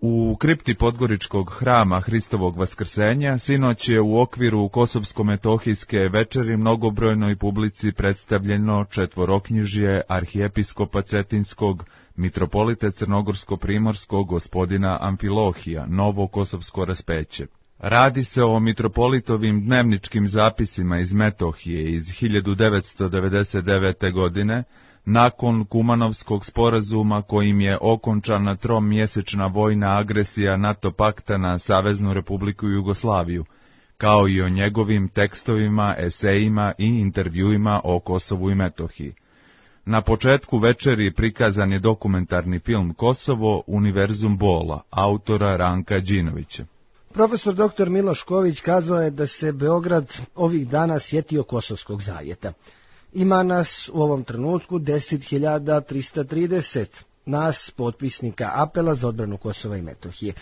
U kripti Podgoričkog hrama Hristovog Vaskrsenja sinoć je u okviru Kosovsko-metohijske večeri mnogobrojnoj publici predstavljeno četvoroknjižje arhijepiskopa Cetinskog, mitropolite Crnogorsko-primorskog gospodina Amfilohija, novo kosovsko raspeće. Radi se o mitropolitovim dnevničkim zapisima iz Metohije iz 1999. godine, nakon Kumanovskog sporazuma kojim je okončana tromjesečna vojna agresija NATO pakta na Saveznu Republiku Jugoslaviju, kao i o njegovim tekstovima, esejima i intervjuima o Kosovu i Metohiji. Na početku večeri prikazan je dokumentarni film Kosovo, Univerzum bola, autora Ranka Đinovića. Profesor dr. Miloš Ković kazao je da se Beograd ovih dana sjetio Kosovskog zavjeta. Ima nas u ovom trenutku 10.330, nas potpisnika apela za odbranu Kosova i Metohije.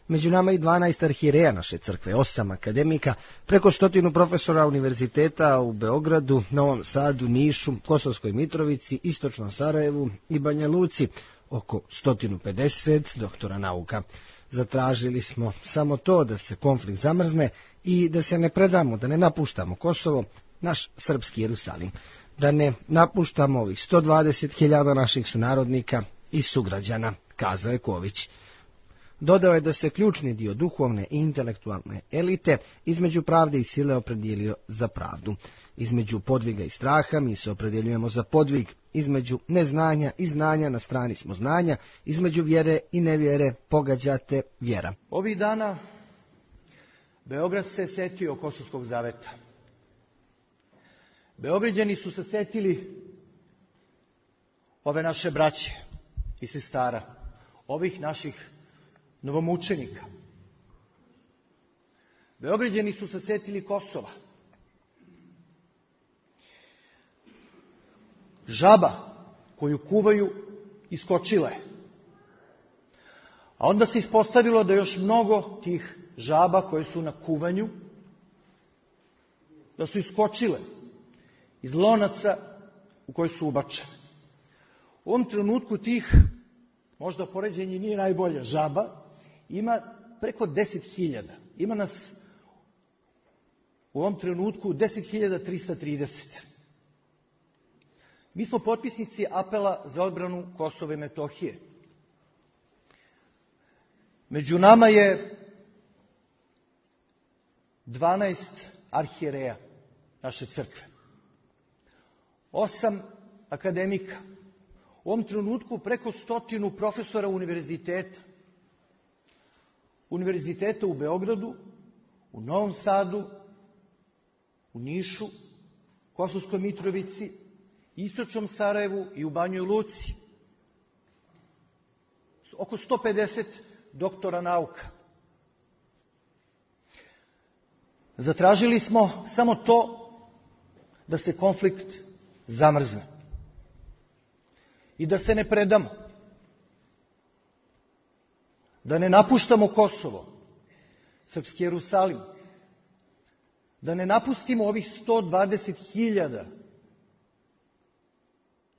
Među nama i 12 arhijereja naše crkve, 8 akademika, preko 100 profesora univerziteta u Beogradu, Novom Sadu, Nišu, Kosovskoj Mitrovici, Istočnom Sarajevu i Banja Luci, oko 150 doktora nauka. Zatražili smo samo to da se konflikt zamrzne i da se ne predamo, da ne napuštamo Kosovo, naš srpski Jerusalim, da ne napuštamo ovih 120.000 naših sunarodnika i sugrađana, kazao je Ković. Dodao je da se ključni dio duhovne i intelektualne elite između pravde i sile opredijelio za pravdu. Između podviga i straha mi se opredjeljujemo za podvig, između neznanja i znanja na strani smo znanja, između vjere i nevjere pogađate vjera. Ovih dana Beograd se setio Kosovskog zaveta. Beograđani su se setili ove naše braće i sestara, ovih naših novomučenika. Beograđani su se setili Kosova. Žaba koju kuvaju iskočila je. A onda se ispostavilo da još mnogo tih žaba koje su na kuvanju, da su iskočile iz lonaca u koji su ubačene. U ovom trenutku tih, možda poređenje nije najbolje, žaba ima preko 10.000. Ima nas u ovom trenutku 10.330. Mi smo potpisnici apela za odbranu Kosova i Metohije. Među nama je 12 arhijereja naše crkve, 8 akademika, u ovom trenutku preko 100 profesora univerziteta. Univerziteta u Beogradu, u Novom Sadu, u Nišu, Kosovskoj Mitrovici, Istočnom Sarajevu i u Banjoj Luci. Oko 150 doktora nauka. Zatražili smo samo to da se konflikt zamrzne i da se ne predamo, da ne napuštamo Kosovo, srpski Jerusalim, da ne napustimo ovih 120.000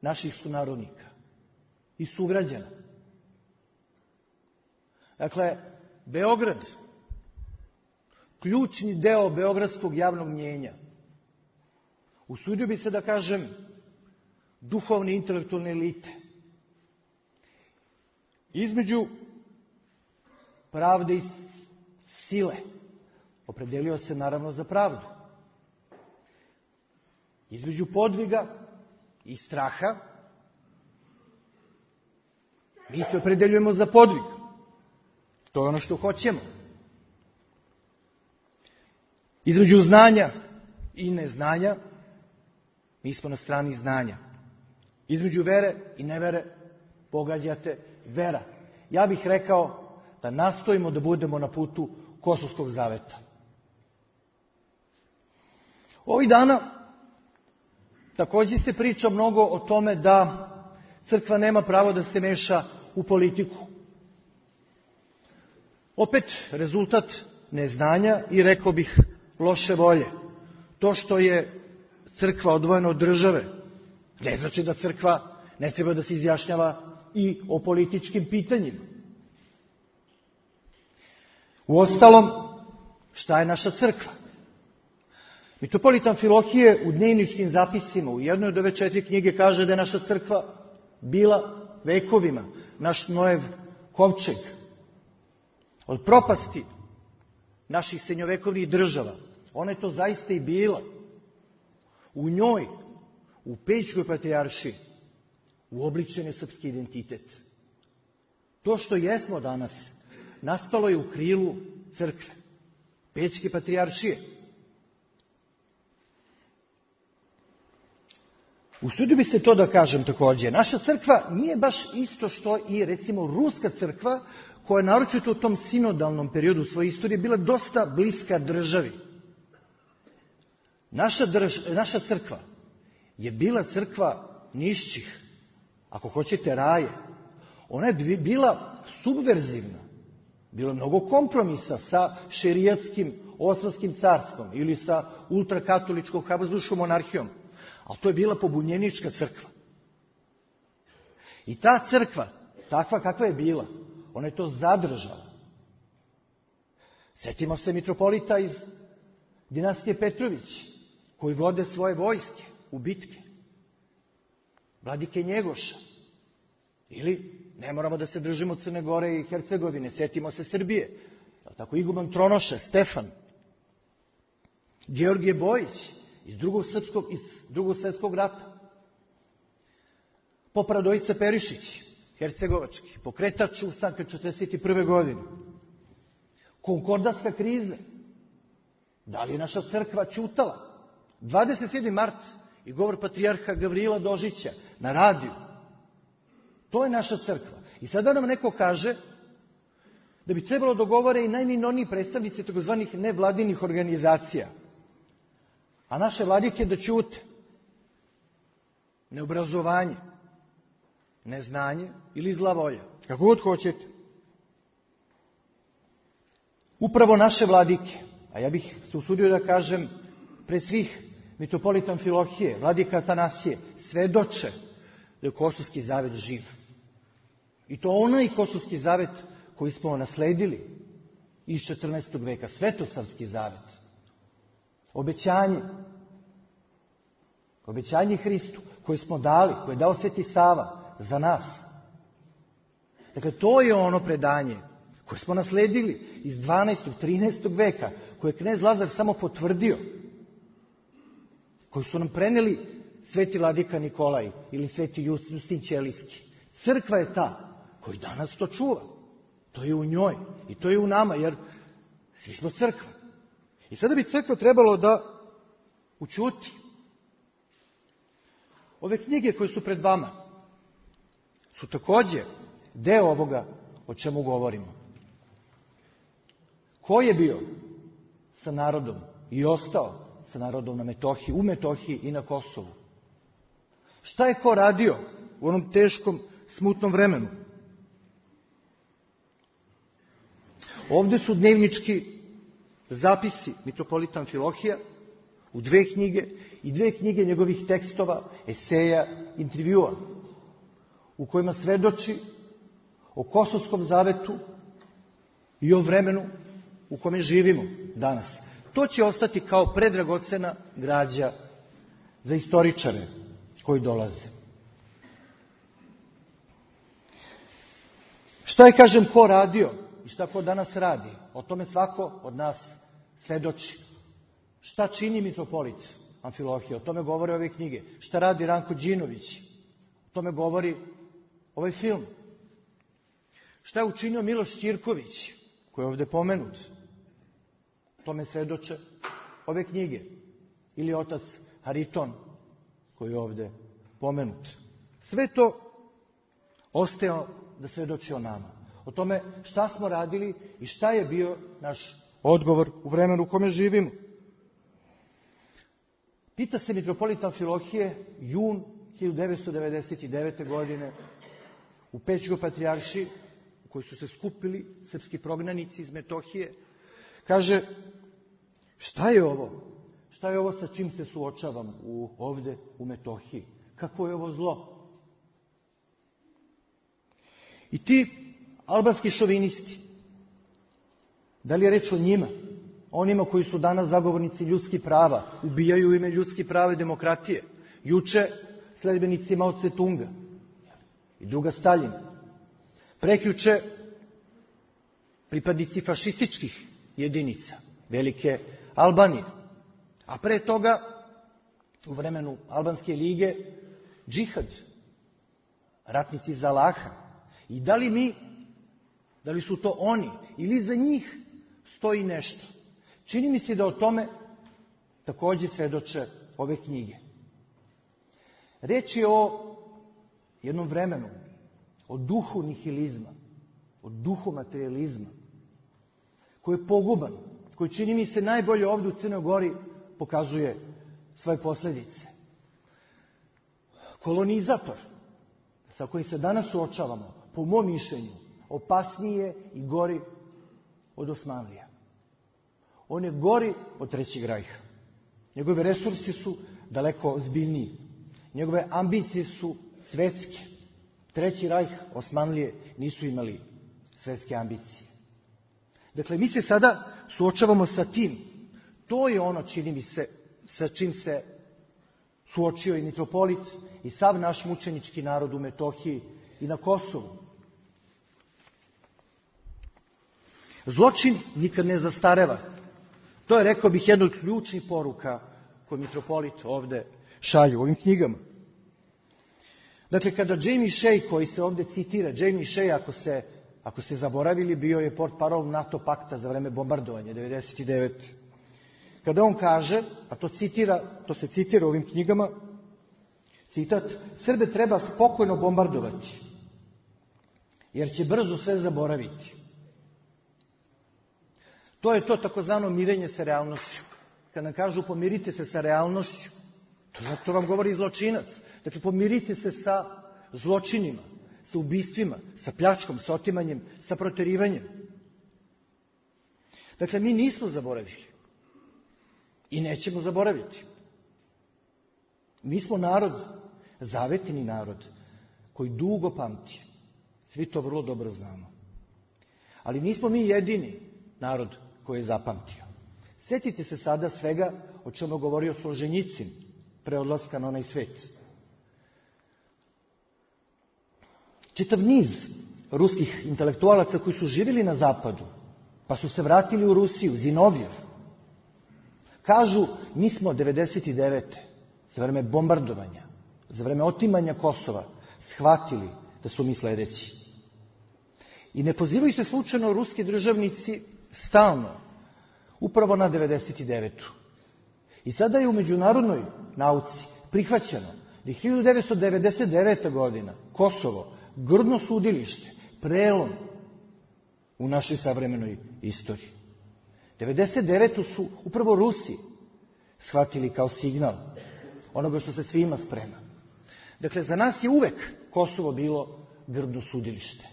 naših sunarodnika i sugrađana. Dakle, Beograd, ključni deo beogradskog javnog mnjenja, usudio bi se da kažem duhovne i intelektualne elite, između pravde i sile, opredelio se naravno za pravdu, između podviga i straha, mi se opredeljujemo za podvig. To je ono što hoćemo. Između znanja i neznanja, mi smo na strani znanja. Između vere i nevere, pogađate vera. Ja bih rekao da nastojimo da budemo na putu Kosovskog zaveta. Ovih dana također se priča mnogo o tome da crkva nema pravo da se meša u politiku. Opet rezultat neznanja i rekao bih loše volje. To što je crkva odvojena od države ne znači da crkva ne treba da se izjašnjava i o političkim pitanjima. Uostalom, šta je naša crkva? Mitropolit Amfilohije u dnevničkim zapisima u jednoj od ove 4 knjige kaže da je naša crkva bila vekovima naš Noev kovčeg. Od propasti naših srednjovekovnih država, ona je to zaista i bila. U njoj, u Pećkoj patrijaršiji, uobličen je srpski identitet. To što jesmo danas, nastalo je u krilu crkve, Pećke patrijaršije. Usudio bi se to da kažem također. Naša crkva nije baš isto što i recimo ruska crkva, koja je naročito u tom sinodalnom periodu svoje istorije bila dosta bliska državi. Naša crkva je bila crkva nišćih, ako hoćete raje. Ona je bila subverzivna. Bilo je mnogo kompromisa sa šerijatskim Osmanskim carstvom ili sa ultrakatoličkom Habsburškom monarhijom. Ali to je bila pobunjenička crkva. I ta crkva, takva kakva je bila, ona je to zadržala. Sjetimo se mitropolita iz dinastije Petrović, koji vode svoje vojske u bitke. Vladike Njegoša. Ili, ne moramo da se držimo Crne Gore i Hercegovine, sjetimo se Srbije. Tako iguman Tronoša, Stefan. Georgije Bojić iz drugog svjetskog rata. Pop Radojica Perišić, hercegovački, pokretač ustanka 1941. godine. Konkordatska kriza. Da li je naša crkva ćutala? 27. mart i govor patrijarha Gavrila Dožića na radiju. To je naša crkva. I sada nam neko kaže da bi trebalo dogovore i najminorniji predstavnici takozvanih nevladinih organizacija. A naše vladike da ćute. Neobrazovanje, neznanje ili zla volja. Kako god hoćete. Upravo naše vladike, a ja bih se usudio da kažem pred svih mitropolit Amfilohije, vladika Atanasije, svedoče da je Kosovski zavet živ. I to onaj Kosovski zavet koji smo nasledili iz 14. veka, Svetosavski zavet. Obećanje Hristu koje smo dali, koje je dao Sveti Sava za nas. Dakle, to je ono predanje koje smo nasledili iz 12. 13. veka, koje je knez Lazar samo potvrdio, koji su nam preneli Sveti vladika Nikolaj ili Sveti Justin Ćelijski. Crkva je ta koji danas to čuva. To je u njoj i to je u nama, jer svi smo crkva. I sada bi crkva trebalo da ućuti. Ove knjige koje su pred vama su također deo ovoga o čemu govorimo. Ko je bio sa narodom i ostao sa narodom na Metohiji, u Metohiji i na Kosovu? Šta je ko radio u onom teškom, smutnom vremenu? Ovdje su dnevnički zapisi mitropolita Amfilohija u 2 knjige i 2 knjige njegovih tekstova, eseja, intervjua, u kojima svedoči o Kosovskom zavetu i o vremenu u kome živimo danas. To će ostati kao predragocena građa za istoričare koji dolaze. Šta je, kažem, ko radio i šta ko danas radi? O tome svako od nas svedoči. Šta čini mitropolit Amfilohije? O tome govore ove knjige. Šta radi Ranko Đinović? O tome govori ovaj film. Šta je učinio Miloš Ćirković, koji je ovdje pomenut? O tome svedoče ove knjige. Ili otac Hariton, koji je ovdje pomenut. Sve to ostaje da svedoči o nama. O tome šta smo radili i šta je bio naš odgovor u vremenu u kome živimo. Pita se mitropolita Amfilohije, jun 1999. godine u Pećkoj patrijaršiji, u kojoj su se skupili srpski prognanici iz Metohije, kaže, šta je ovo? Šta je ovo sa čim se suočavam ovdje u Metohiji? Kako je ovo zlo? I ti albanski šovinisti, Da li je reč o njima? Onima koji su danas zagovornici ljudskih prava, ubijaju u ime ljudskih prava i demokratije. Juče sledbenici Mao Tse-tunga i druga Staljina. Prekjuče pripadnici fašističkih jedinica, velike Albanije. A pre toga, u vremenu Albanske lige, džihad, ratnici za Allaha. I da li su to oni ili za njih stoji nešto? Čini mi se da o tome takođe svedoče ove knjige. Reč je o jednom vremenu, o duhu nihilizma, o duhu materializma, koji je poguban, koji čini mi se najbolje ovdje u Crnoj Gori pokazuje svoje posljedice. Kolonizator, sa kojim se danas suočavamo, po mom mišljenju, opasnije i gori od Osmanlija. On je gori od Trećeg rajha. Njegove resursi su daleko ozbiljniji. Njegove ambicije su svetske. Treći rajh, Osmanlije, nisu imali svetske ambicije. Dakle, mi se sada suočavamo sa tim. To je ono, čini mi se, sa čim se suočio i mitropolit i sav naš mučenički narod u Metohiji i na Kosovu. Zločin nikad ne zastareva. To je, rekao bih, jedna od ključnih poruka koju mitropolit ovde šalju u ovim knjigama. Dakle, kada Jamie Shea, koji se ovde citira, Jamie Shea, ako se zaboravili, bio je portparol NATO pakta za vreme bombardovanja 1999. Kada on kaže, a to se citira u ovim knjigama, citat, Srbe treba spokojno bombardovati, jer će brzo sve zaboraviti. To je to takozvano mirenje sa realnošću. Kad nam kažu pomirite se sa realnošću, to vam govori zločinac. Dakle, pomirite se sa zločinima, sa ubistvima, sa pljačkom, sa otimanjem, sa proterivanjem. Dakle, mi nismo zaboravili i nećemo zaboraviti. Mi smo narod, zavetni narod, koji dugo pamti. Svi to vrlo dobro znamo. Ali nismo mi jedini narod koji je zapamtio. Sjetite se sada svega o čemu je govorio Solženjicin pre odlaska na onaj svet. Čitav niz ruskih intelektualaca koji su živjeli na zapadu, pa su se vratili u Rusiju, Zinovjev, kažu, mi smo 99. za vreme bombardovanja, za vreme otimanja Kosova, shvatili da su mi sledeći. I ne pozivaju se slučajno ruski državnici stalno, upravo na 99. I sada je u međunarodnoj nauci prihvaćeno da je 1999. godina Kosovo grdno sudilište, prelom u našoj savremenoj istoriji. 99. su upravo Rusi shvatili kao signal onoga što se svima sprema. Dakle, za nas je uvek Kosovo bilo grdno sudilište.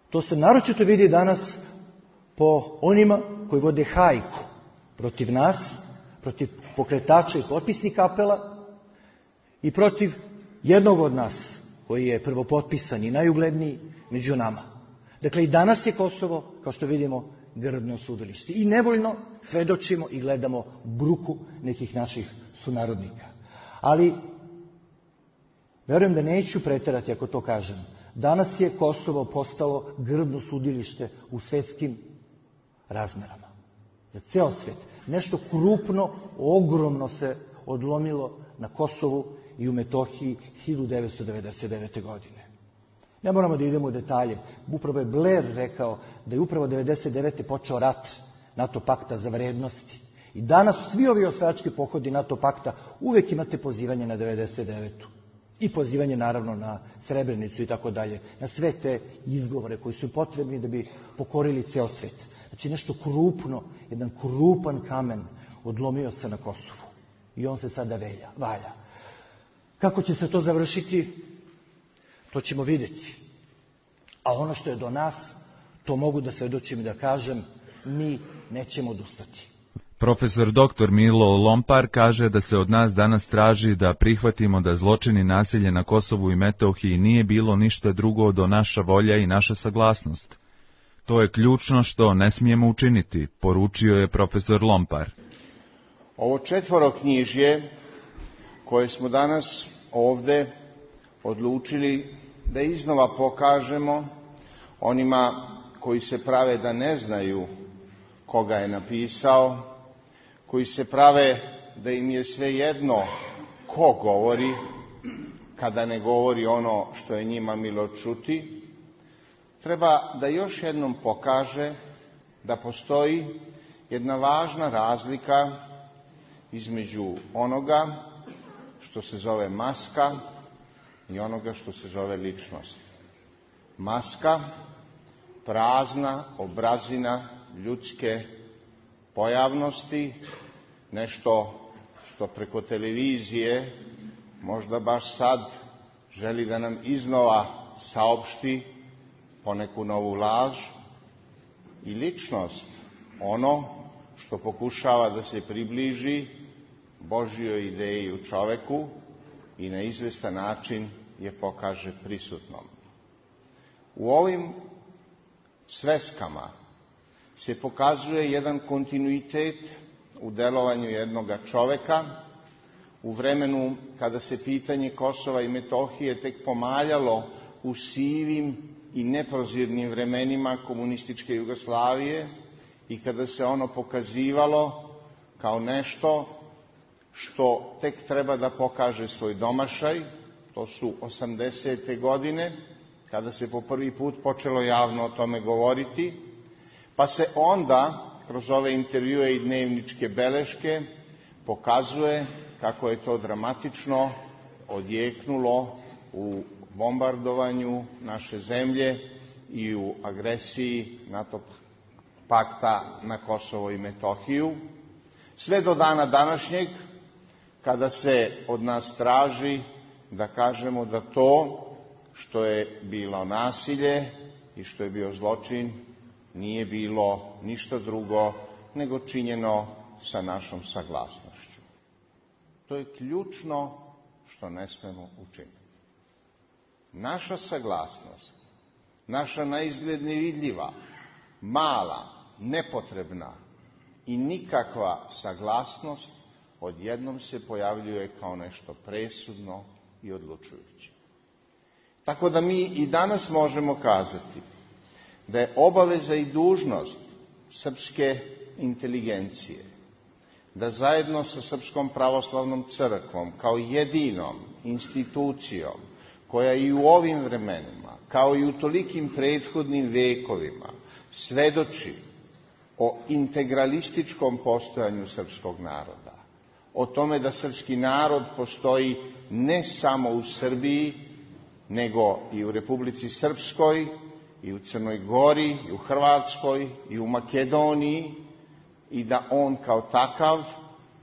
To se naročito vidi danas po onima koji vode hajku protiv nas, protiv pokretača i potpisnika apela i protiv jednog od nas, koji je prvopotpisan i najugledniji među nama. Dakle, i danas je Kosovo, kao što vidimo, grdno sudilište. I nevoljno svedočimo i gledamo bruku nekih naših sunarodnika. Ali, verujem da neću preterati ako to kažem. Danas je Kosovo postalo grdno sudilište u svetskim razmerama. Za ceo svet. Nešto krupno, ogromno se odlomilo na Kosovu i u Metohiji 1999. godine. Ne moramo da idemo u detalje. Upravo je Blair rekao da je upravo 1999. počeo rat NATO pakta za vrednosti. I danas svi ovi osvajački pohodi NATO pakta uvek imate pozivanje na 1999. I pozivanje naravno na Srebrenicu i tako dalje. Na sve te izgovore koji su potrebni da bi pokorili ceo svet. Znači nešto krupno, jedan krupan kamen odlomio se na Kosovu. I on se sada valja. Kako će se to završiti, to ćemo vidjeti. A ono što je do nas, to mogu da svedočim i da kažem, mi nećemo odustati. Profesor dr. Milo Lompar kaže da se od nas danas traži da prihvatimo da zločini nasilje na Kosovu i Metohiji nije bilo ništa drugo do naša volja i naša saglasnost. To je ključno što ne smijemo učiniti, poručio je profesor Lompar. Ovo četvoroknjižje koje smo danas ovde odlučili da iznova pokažemo onima koji se prave da ne znaju koga je napisao, koji se prave da im je svejedno ko govori, kada ne govori ono što je njima milo čuti, treba da još jednom pokaže da postoji jedna važna razlika između onoga što se zove maska i onoga što se zove ličnost. Maska, prazna obrazina ljudske pojavnosti, nešto što preko televizije možda baš sad želi da nam iznova saopšti poneku novu laž, i ličnost, ono što pokušava da se približi Božjoj ideji u čoveku i na izvestan način je pokaže prisutnom. U ovim sveskama se pokazuje jedan kontinuitet u delovanju jednoga čoveka, u vremenu kada se pitanje Kosova i Metohije tek pomaljalo u sivim i neprozirnim vremenima komunističke Jugoslavije i kada se ono pokazivalo kao nešto što tek treba da pokaže svoj domašaj. To su 80. godine, kada se po prvi put počelo javno o tome govoriti, pa se onda kroz ove intervjue i dnevničke beleške pokazuje kako je to dramatično odjeknulo u bombardovanju naše zemlje i u agresiji NATO pakta na Kosovo i Metohiju, sve do dana današnjeg, kada se od nas traži da kažemo da to što je bilo nasilje i što je bio zločin nije bilo ništa drugo nego činjeno sa našom saglasnošću. To je ključno što ne smemo učiniti. Naša saglasnost, naša naizgled nevidljiva, mala, nepotrebna i nikakva saglasnost odjednom se pojavljuje kao nešto presudno i odlučujuće. Tako da mi i danas možemo kazati da je obaveza i dužnost srpske inteligencije da zajedno sa Srpskom pravoslavnom crkvom kao jedinom institucijom koja i u ovim vremenima, kao i u tolikim prethodnim vekovima, svedoči o integralističkom postojanju srpskog naroda, o tome da srpski narod postoji ne samo u Srbiji, nego i u Republici Srpskoj, i u Crnoj Gori, i u Hrvatskoj, i u Makedoniji, i da on kao takav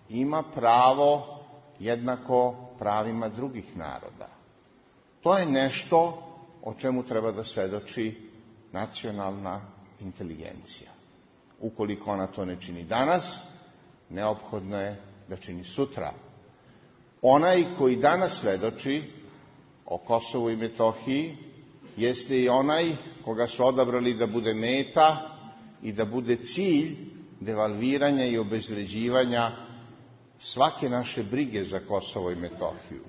ima pravo jednako pravima drugih naroda. To je nešto o čemu treba da svedoči nacionalna inteligencija. Ukoliko ona to ne čini danas, neophodno je da čini sutra. Onaj koji danas svedoči o Kosovu i Metohiji jeste i onaj koga su odabrali da bude meta i da bude cilj devalviranja i obezvređivanja svake naše brige za Kosovo i Metohiju.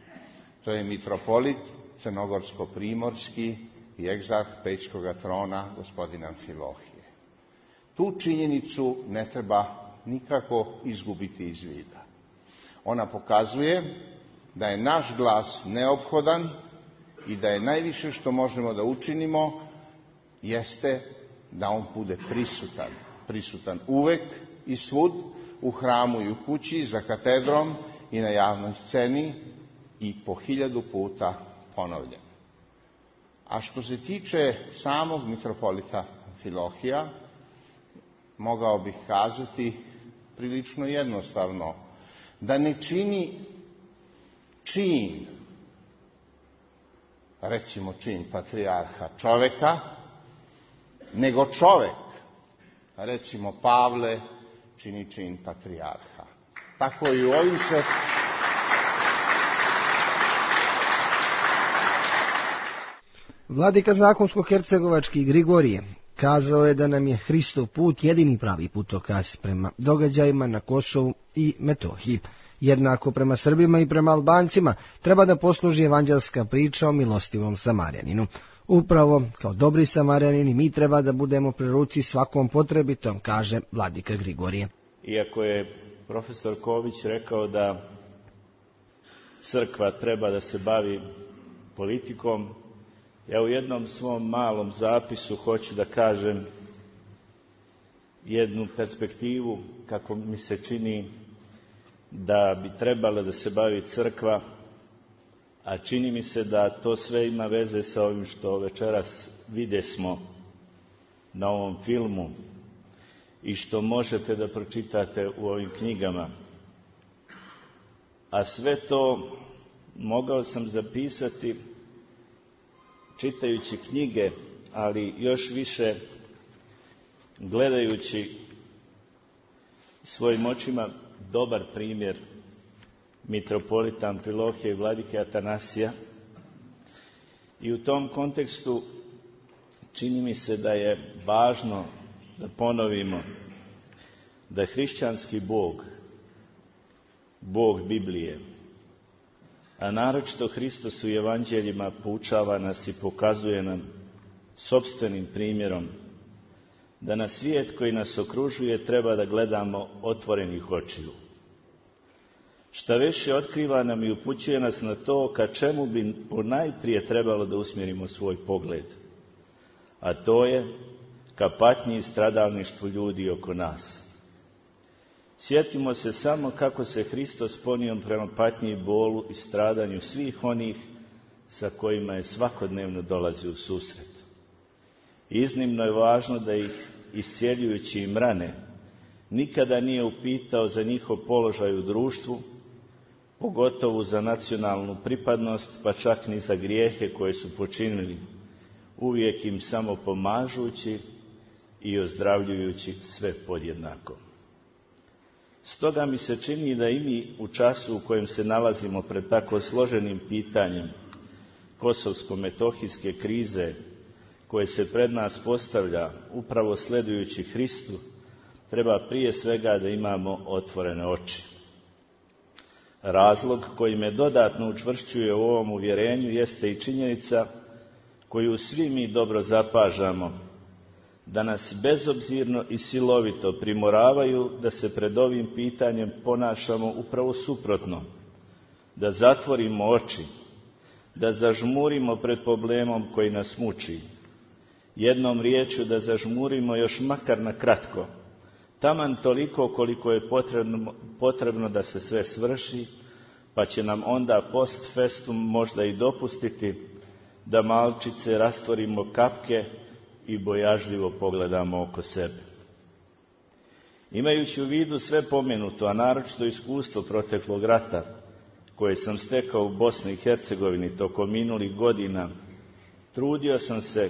To je mitropolit crnogorsko-primorski i egzarh Pećkog trona gospodin Amfilohije. Tu činjenicu ne treba nikako izgubiti iz vida. Ona pokazuje da je naš glas neophodan i da je najviše što možemo da učinimo jeste da on bude prisutan. Prisutan uvek i svud, u hramu i u kući, za katedrom i na javnoj sceni i po 1000 puta ponovljen. A što se tiče samog mitropolita Amfilohija, mogao bih kazati prilično jednostavno da ne čini čin, recimo čin patrijarha čoveka, nego čovek, recimo Pavle, čini čin patrijarha. Tako i u ovim se... Vladika zakonsko-hercegovački Grigorije kazao je da nam je Hristov put jedini pravi putokaz prema događajima na Kosovu i Metohiji. Jednako prema Srbima i prema Albancima treba da posluži evanđelska priča o milostivom Samarjaninu. Upravo kao dobri Samarjanini mi treba da budemo pri ruci svakom potrebitom, kaže vladika Grigorije. Iako je profesor Ković rekao da crkva treba da se bavi politikom, ja u jednom svom malom zapisu hoću da kažem jednu perspektivu kako mi se čini da bi trebala da se bavi crkva, a čini mi se da to sve ima veze sa ovim što večeras videsmo na ovom filmu i što možete da pročitate u ovim knjigama. A sve to mogao sam zapisati čitajući knjige, ali još više gledajući svojim očima dobar primjer mitropolita Amfilohija i vladike Atanasija. I u tom kontekstu čini mi se da je važno da ponovimo da je hrišćanski Bog, Bog Biblije, a naročito Hristos u evanđeljima poučava nas i pokazuje nam sopstvenim primjerom da na svijet koji nas okružuje treba da gledamo otvorenih očiju. Šta više otkriva nam i upućuje nas na to ka čemu bi ponajprije trebalo da usmjerimo svoj pogled, a to je ka patnji i stradalništvu ljudi oko nas. Sjetimo se samo kako se Hristos ponio prema patnji i bolu i stradanju svih onih sa kojima je svakodnevno dolazio u susret. Iznimno je važno da ih, iscjeljujući im rane, nikada nije upitao za njihov položaj u društvu, pogotovo za nacionalnu pripadnost, pa čak ni za grijehe koje su počinili, uvijek im samo pomažući i ozdravljujući sve podjednako. Stoga mi se čini da i mi u času u kojem se nalazimo pred tako složenim pitanjem kosovsko-metohijske krize, koje se pred nas postavlja upravo sledujući Hristu, treba prije svega da imamo otvorene oči. Razlog koji me dodatno učvršćuje u ovom uvjerenju jeste i činjenica koju svi mi dobro zapažamo, da nas bezobzirno i silovito primoravaju da se pred ovim pitanjem ponašamo upravo suprotno, da zatvorimo oči, da zažmurimo pred problemom koji nas muči. Jednom riječju da zažmurimo još makar na kratko, taman toliko koliko je potrebno da se sve svrši, pa će nam onda post festum možda i dopustiti da malčice rastvorimo kapke i bojažljivo pogledamo oko sebe. Imajući u vidu sve pomenuto, a naročito iskustvo proteklog rata, koje sam stekao u Bosni i Hercegovini tokom minulih godina, trudio sam se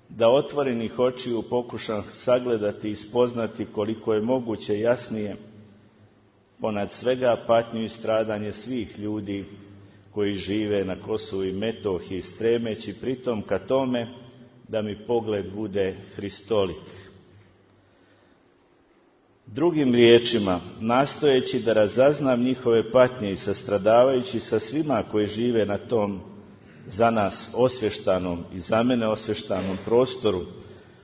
da otvorenih očiju pokušam sagledati i spoznati koliko je moguće jasnije ponad svega patnju i stradanje svih ljudi koji žive na Kosovu i Metohiji, stremeći pritom ka tome da mi pogled bude hristolik. Drugim riječima, nastojeći da razaznam njihove patnje i sastradavajući sa svima koji žive na tom za nas osvještanom i za mene osvještanom prostoru,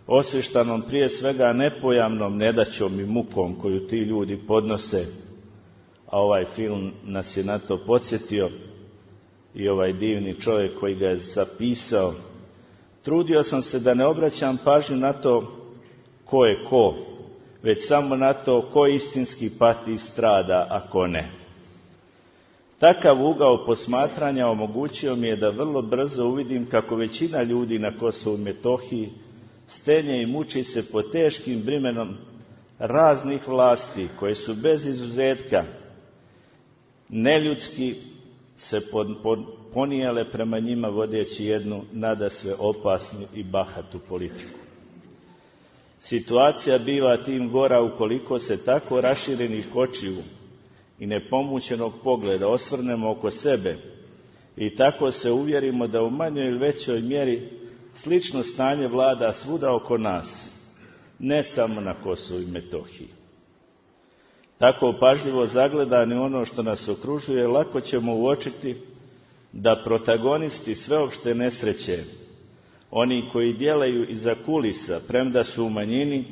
osvještanom prije svega nepojamnom nedaćom i mukom koju ti ljudi podnose, a ovaj film nas je na to podsjetio i ovaj divni čovjek koji ga je zapisao. Trudio sam se da ne obraćam pažnju na to ko je ko, već samo na to ko istinski pati i strada, a ko ne. Takav ugao posmatranja omogućio mi je da vrlo brzo uvidim kako većina ljudi na Kosovu i Metohiji stenje i muči se pod teškim bremenom raznih vlasti koje su bez izuzetka neljudski se ponijele prema njima vodeći jednu nadasve opasnu i bahatu politiku. Situacija biva tim gora ukoliko se tako raširenih očiju i nepomućenog pogleda osvrnemo oko sebe i tako se uvjerimo da u manjoj ili većoj mjeri slično stanje vlada svuda oko nas, ne samo na Kosovu i Metohiji. Tako pažljivo zagledani ono što nas okružuje, lako ćemo uočiti da protagonisti sveopšte nesreće, oni koji djelaju iza kulisa, premda su u manjini,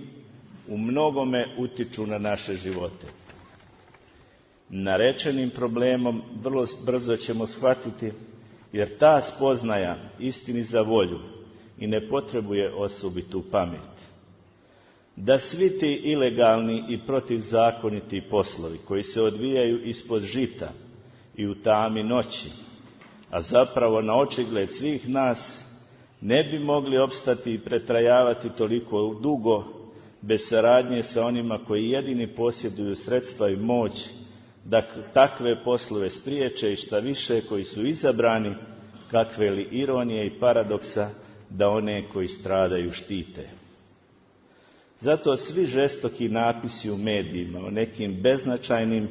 u mnogome utiču na naše živote. Narečenim problemom vrlo brzo ćemo shvatiti, jer ta spoznaja istini za volju i ne potrebuje osobitu pamet. Da svi ti ilegalni i protivzakoniti poslovi koji se odvijaju ispod žita i u tami noći, a zapravo na očigled svih nas, ne bi mogli opstati i pretrajavati toliko dugo bez saradnje sa onima koji jedini posjeduju sredstva i moć da takve poslove spriječe i šta više koji su izabrani, kakve li ironije i paradoksa, da one koji stradaju štite. Zato svi žestoki napisi u medijima o nekim beznačajnim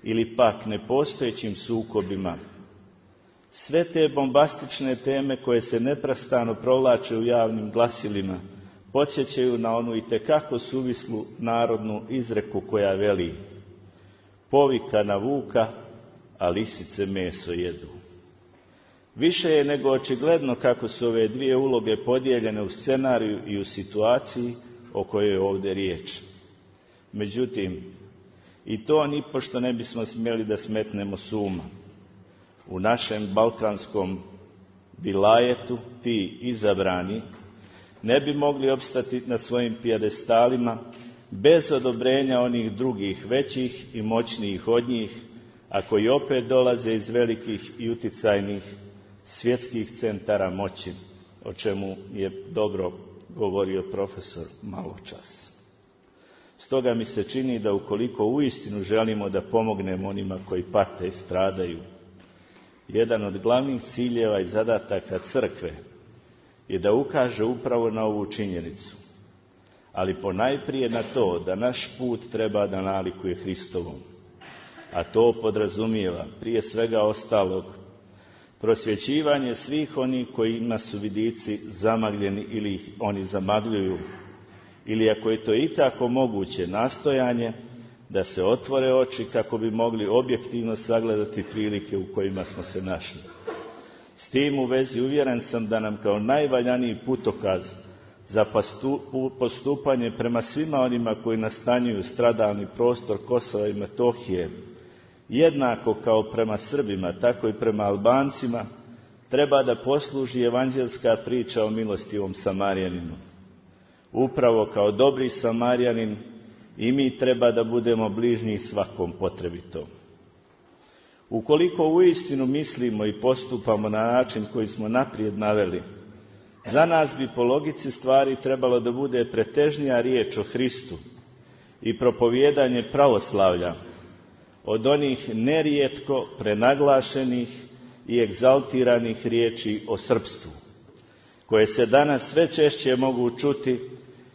ili pak nepostojećim sukobima, sve te bombastične teme koje se neprestano provlače u javnim glasilima, podsjećaju na onu itekako suvislu narodnu izreku koja veli: povika na vuka, a lisice meso jedu. Više je nego očigledno kako su ove dvije uloge podijeljene u scenariju i u situaciji o kojoj je ovdje riječ. Međutim, i to nipošto ne bismo smjeli da smetnemo s uma. U našem balkanskom vilajetu ti izabrani ne bi mogli opstati na svojim pijedestalima bez odobrenja onih drugih, većih i moćnijih od njih, a koji opet dolaze iz velikih i uticajnih svjetskih centara moći, o čemu je dobro govorio profesor maločas. Stoga mi se čini da ukoliko uistinu želimo da pomognemo onima koji pate i stradaju, jedan od glavnih ciljeva i zadataka crkve je da ukaže upravo na ovu činjenicu, ali ponajprije na to da naš put treba da nalikuje Hristovom, a to podrazumijeva prije svega ostalog prosvjećivanje svih onih kojima su vidici zamagljeni ili ih oni zamagljuju, ili ako je to ikako moguće, nastojanje da se otvore oči kako bi mogli objektivno sagledati prilike u kojima smo se našli. S tim u vezi uvjeren sam da nam kao najvaljaniji putokaz za postupanje prema svima onima koji nastanjuju stradalni prostor Kosova i Metohije, jednako kao prema Srbima, tako i prema Albancima, treba da posluži evanđelska priča o milostivom Samarijaninu. Upravo kao dobri Samarijanin i mi treba da budemo bližnji svakom potrebitom. Ukoliko uistinu mislimo i postupamo na način koji smo naprijed naveli, za nas bi po logici stvari trebalo da bude pretežnija riječ o Hristu i propovijedanje pravoslavlja od onih nerijetko prenaglašenih i egzaltiranih riječi o srpstvu, koje se danas sve češće mogu čuti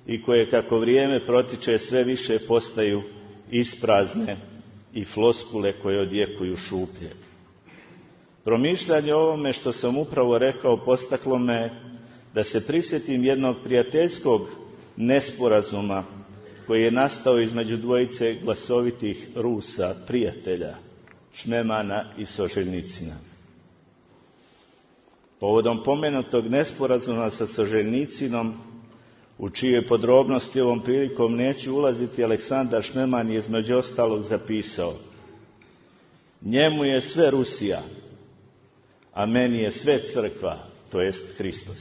i koje kako vrijeme protiče sve više postaju isprazne i floskule koje odjekuju šuplje. Promišljanje o ovome što sam upravo rekao postaklo me da se prisjetim jednog prijateljskog nesporazuma koji je nastao između dvojice glasovitih Rusa, prijatelja, Šmemana i Soželjnicina. Povodom pomenutog nesporazuma sa Soželjnicinom, u čije podrobnosti ovom prilikom neću ulaziti, Aleksandar Šmeman je između ostalog zapisao: njemu je sve Rusija, a meni je sve crkva, to jest Hristos.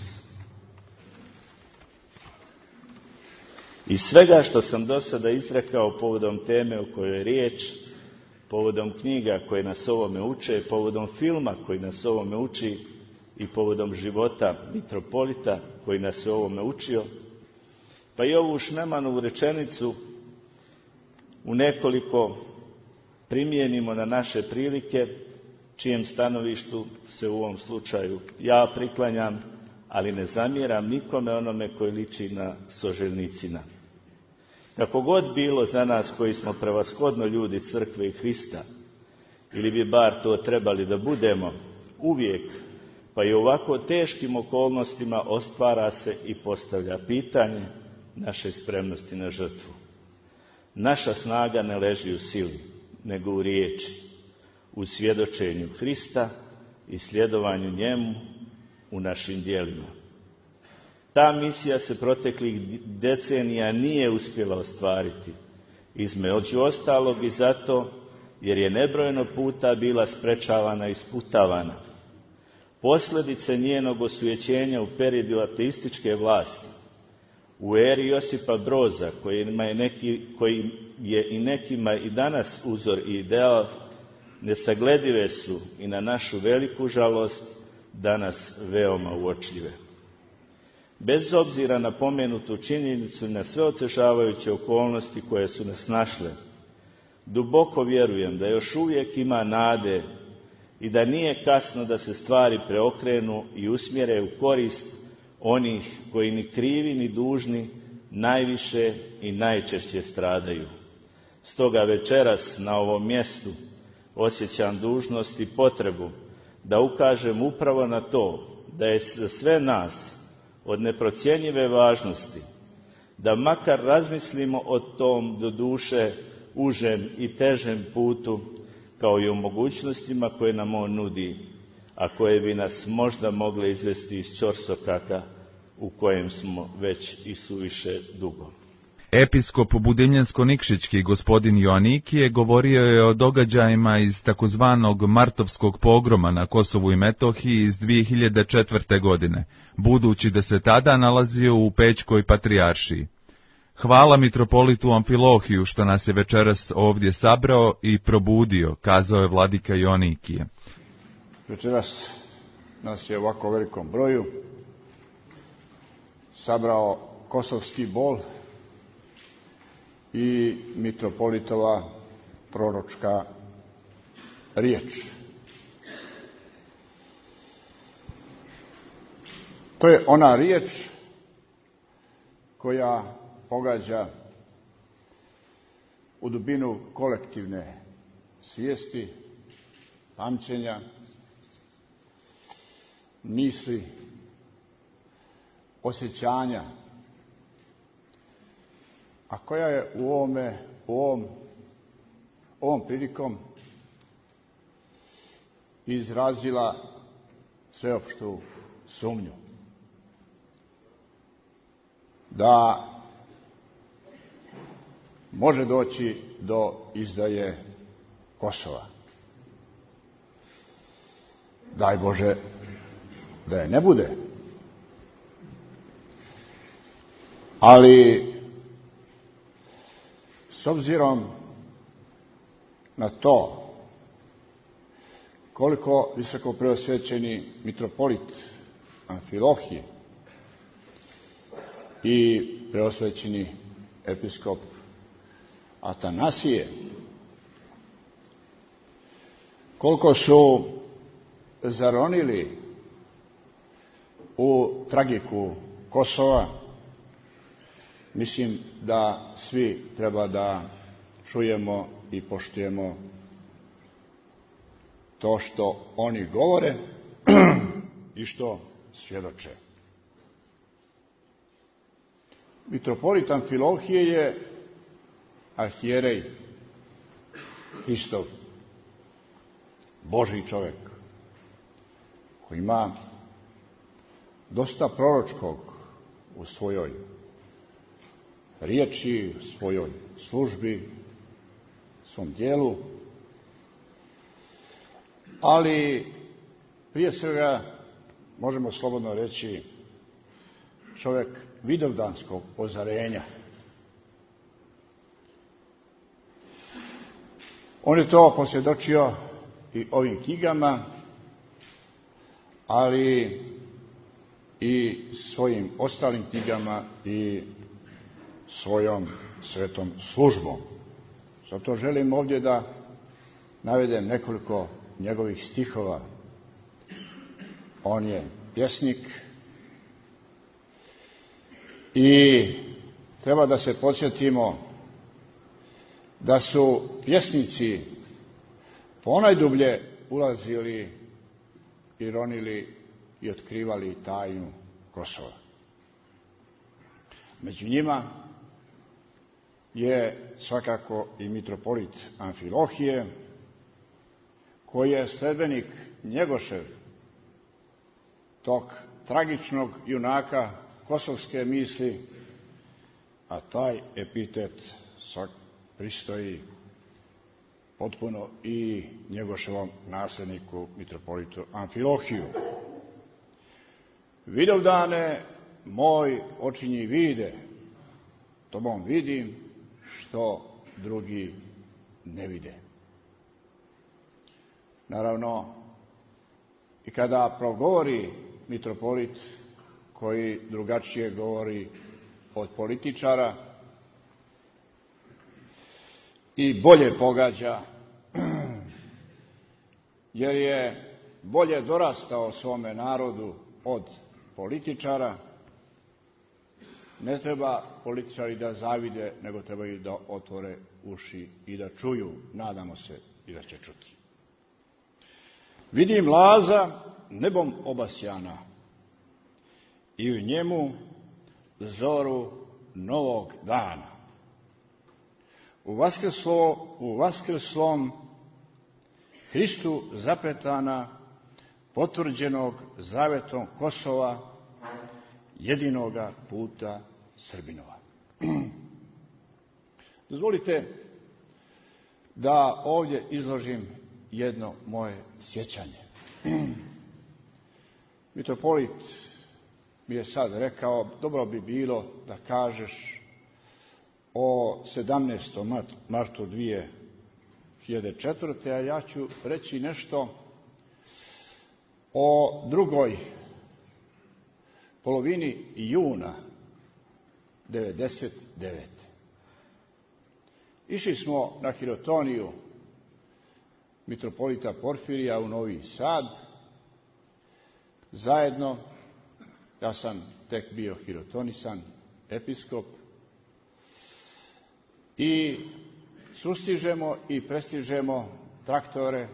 Iz svega što sam do sada izrekao povodom teme o kojoj je riječ, povodom knjiga koje nas ovome uče, povodom filma koji nas ovome uči i povodom života mitropolita koji nas je ovome učio, pa i ovu Šmemanovu rečenicu u nekoliko primijenimo na naše prilike, čijem stanovištu se u ovom slučaju ja priklanjam, ali ne zamjeram nikome onome koji liči na Soželjnicina. Kako god bilo za nas koji smo prevashodno ljudi crkve i Hrista, ili bi bar to trebali da budemo, uvijek pa i u ovako teškim okolnostima ostvara se i postavlja pitanje naše spremnosti na žrtvu. Naša snaga ne leži u sili, nego u riječi, u svjedočenju Hrista i sljedovanju njemu u našim djelima. Ta misija se proteklih decenija nije uspjela ostvariti, između ostalog i zato jer je nebrojeno puta bila sprečavana i sputavana. Posljedice njenog osvećenja u periodu ateističke vlasti, u eri Josipa Broza, koji je i nekima i danas uzor i ideal, nesagledive su i na našu veliku žalost danas veoma uočljive. Bez obzira na pomenutu činjenicu i na sve otežavajuće okolnosti koje su nas našle, duboko vjerujem da još uvijek ima nade i da nije kasno da se stvari preokrenu i usmjere u korist onih koji ni krivi ni dužni najviše i najčešće stradaju. Stoga večeras na ovom mjestu osjećam dužnost i potrebu da ukažem upravo na to da je za sve nas od neprocjenjive važnosti da makar razmislimo o tom doduše užem i težem putu, kao i o mogućnostima koje nam on nudi, a koje bi nas možda mogle izvesti iz ćorsokaka u kojem smo već i suviše dugo. Episkop Budimljensko-Nikšićki gospodin Joanikije govorio je o događajima iz takozvanog Martovskog pogroma na Kosovu i Metohiji iz 2004. godine, budući da se tada nalazio u Pećkoj patrijaršiji. Hvala mitropolitu Amfilohiju što nas je večeras ovdje sabrao i probudio, kazao je vladika Joanikije. Večeras nas je u ovako velikom broju sabrao kosovski bol i mitropolitova proročka riječ. To je ona riječ koja pogađa u dubinu kolektivne svijesti, pamćenja, misli, osjećanja, a koja je ovom prilikom izrazila sveopštu sumnju da može doći do izdaje Kosova. Daj Bože da je ne bude. Ali s obzirom na to koliko visoko preosvećeni mitropolit Amfilohije i preosvećeni episkop Atanasije, koliko su zaronili u tragiku Kosova, mislim da svi treba da čujemo i poštujemo to što oni govore i što svjedoče. Mitropolit Amfilohije je arhijerej Hristov, Božji čovjek, koji ima dosta proročkog u svojoj riječi, u svojoj službi, svom djelu, ali prije svega možemo slobodno reći čovjek vidovdanskog ozarenja. On je to posvjedočio i ovim knjigama, ali i svojim ostalim knjigama i svojom svetom službom. Zato želim ovdje da navedem nekoliko njegovih stihova. On je pjesnik i treba da se podsjetimo da su pjesnici ponajdublje ulazili i ronili i otkrivali tajnu Kosova. Među njima je svakako i mitropolit Amfilohije, koji je sledbenik Njegošev, tog tragičnog junaka kosovske misli, a taj epitet pristoji potpuno i Njegoševom nasljedniku, mitropolitu Amfilohiju. Vidovdane, moj očinji vide, tobom vidim što drugi ne vide. Naravno, i kada progovori mitropolit koji drugačije govori od političara i bolje pogađa, jer je bolje dorastao svome narodu od političara, ne treba političari da zavide, nego trebaju da otvore uši i da čuju, nadamo se i da će čuti. Vidim Laza nebom obasjana i u njemu zoru novog dana. U vaskrslom Hristu zapetana, potvrđenog zavetom Kosova, jedinoga puta Srbinova. Dozvolite da ovdje izložim jedno moje sjećanje. Mitropolit mi je sad rekao, dobro bi bilo da kažeš o 17. martu 2004. A ja ću reći nešto o drugoj polovini juna 1999. Išli smo na hirotoniju mitropolita Porfirija u Novi Sad. Zajedno, ja sam tek bio hirotonisan, episkop, i sustižemo i prestižemo traktore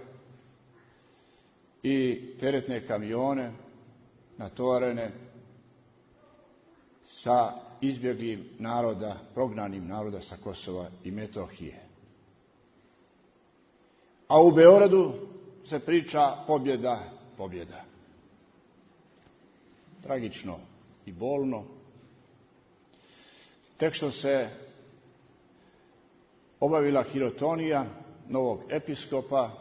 i teretne kamione natovarene sa izbjeglim naroda, prognanim naroda sa Kosova i Metohije. A u Beogradu se priča pobjeda, pobjeda. Tragično i bolno. Tek što se obavila hirotonija novog episkopa,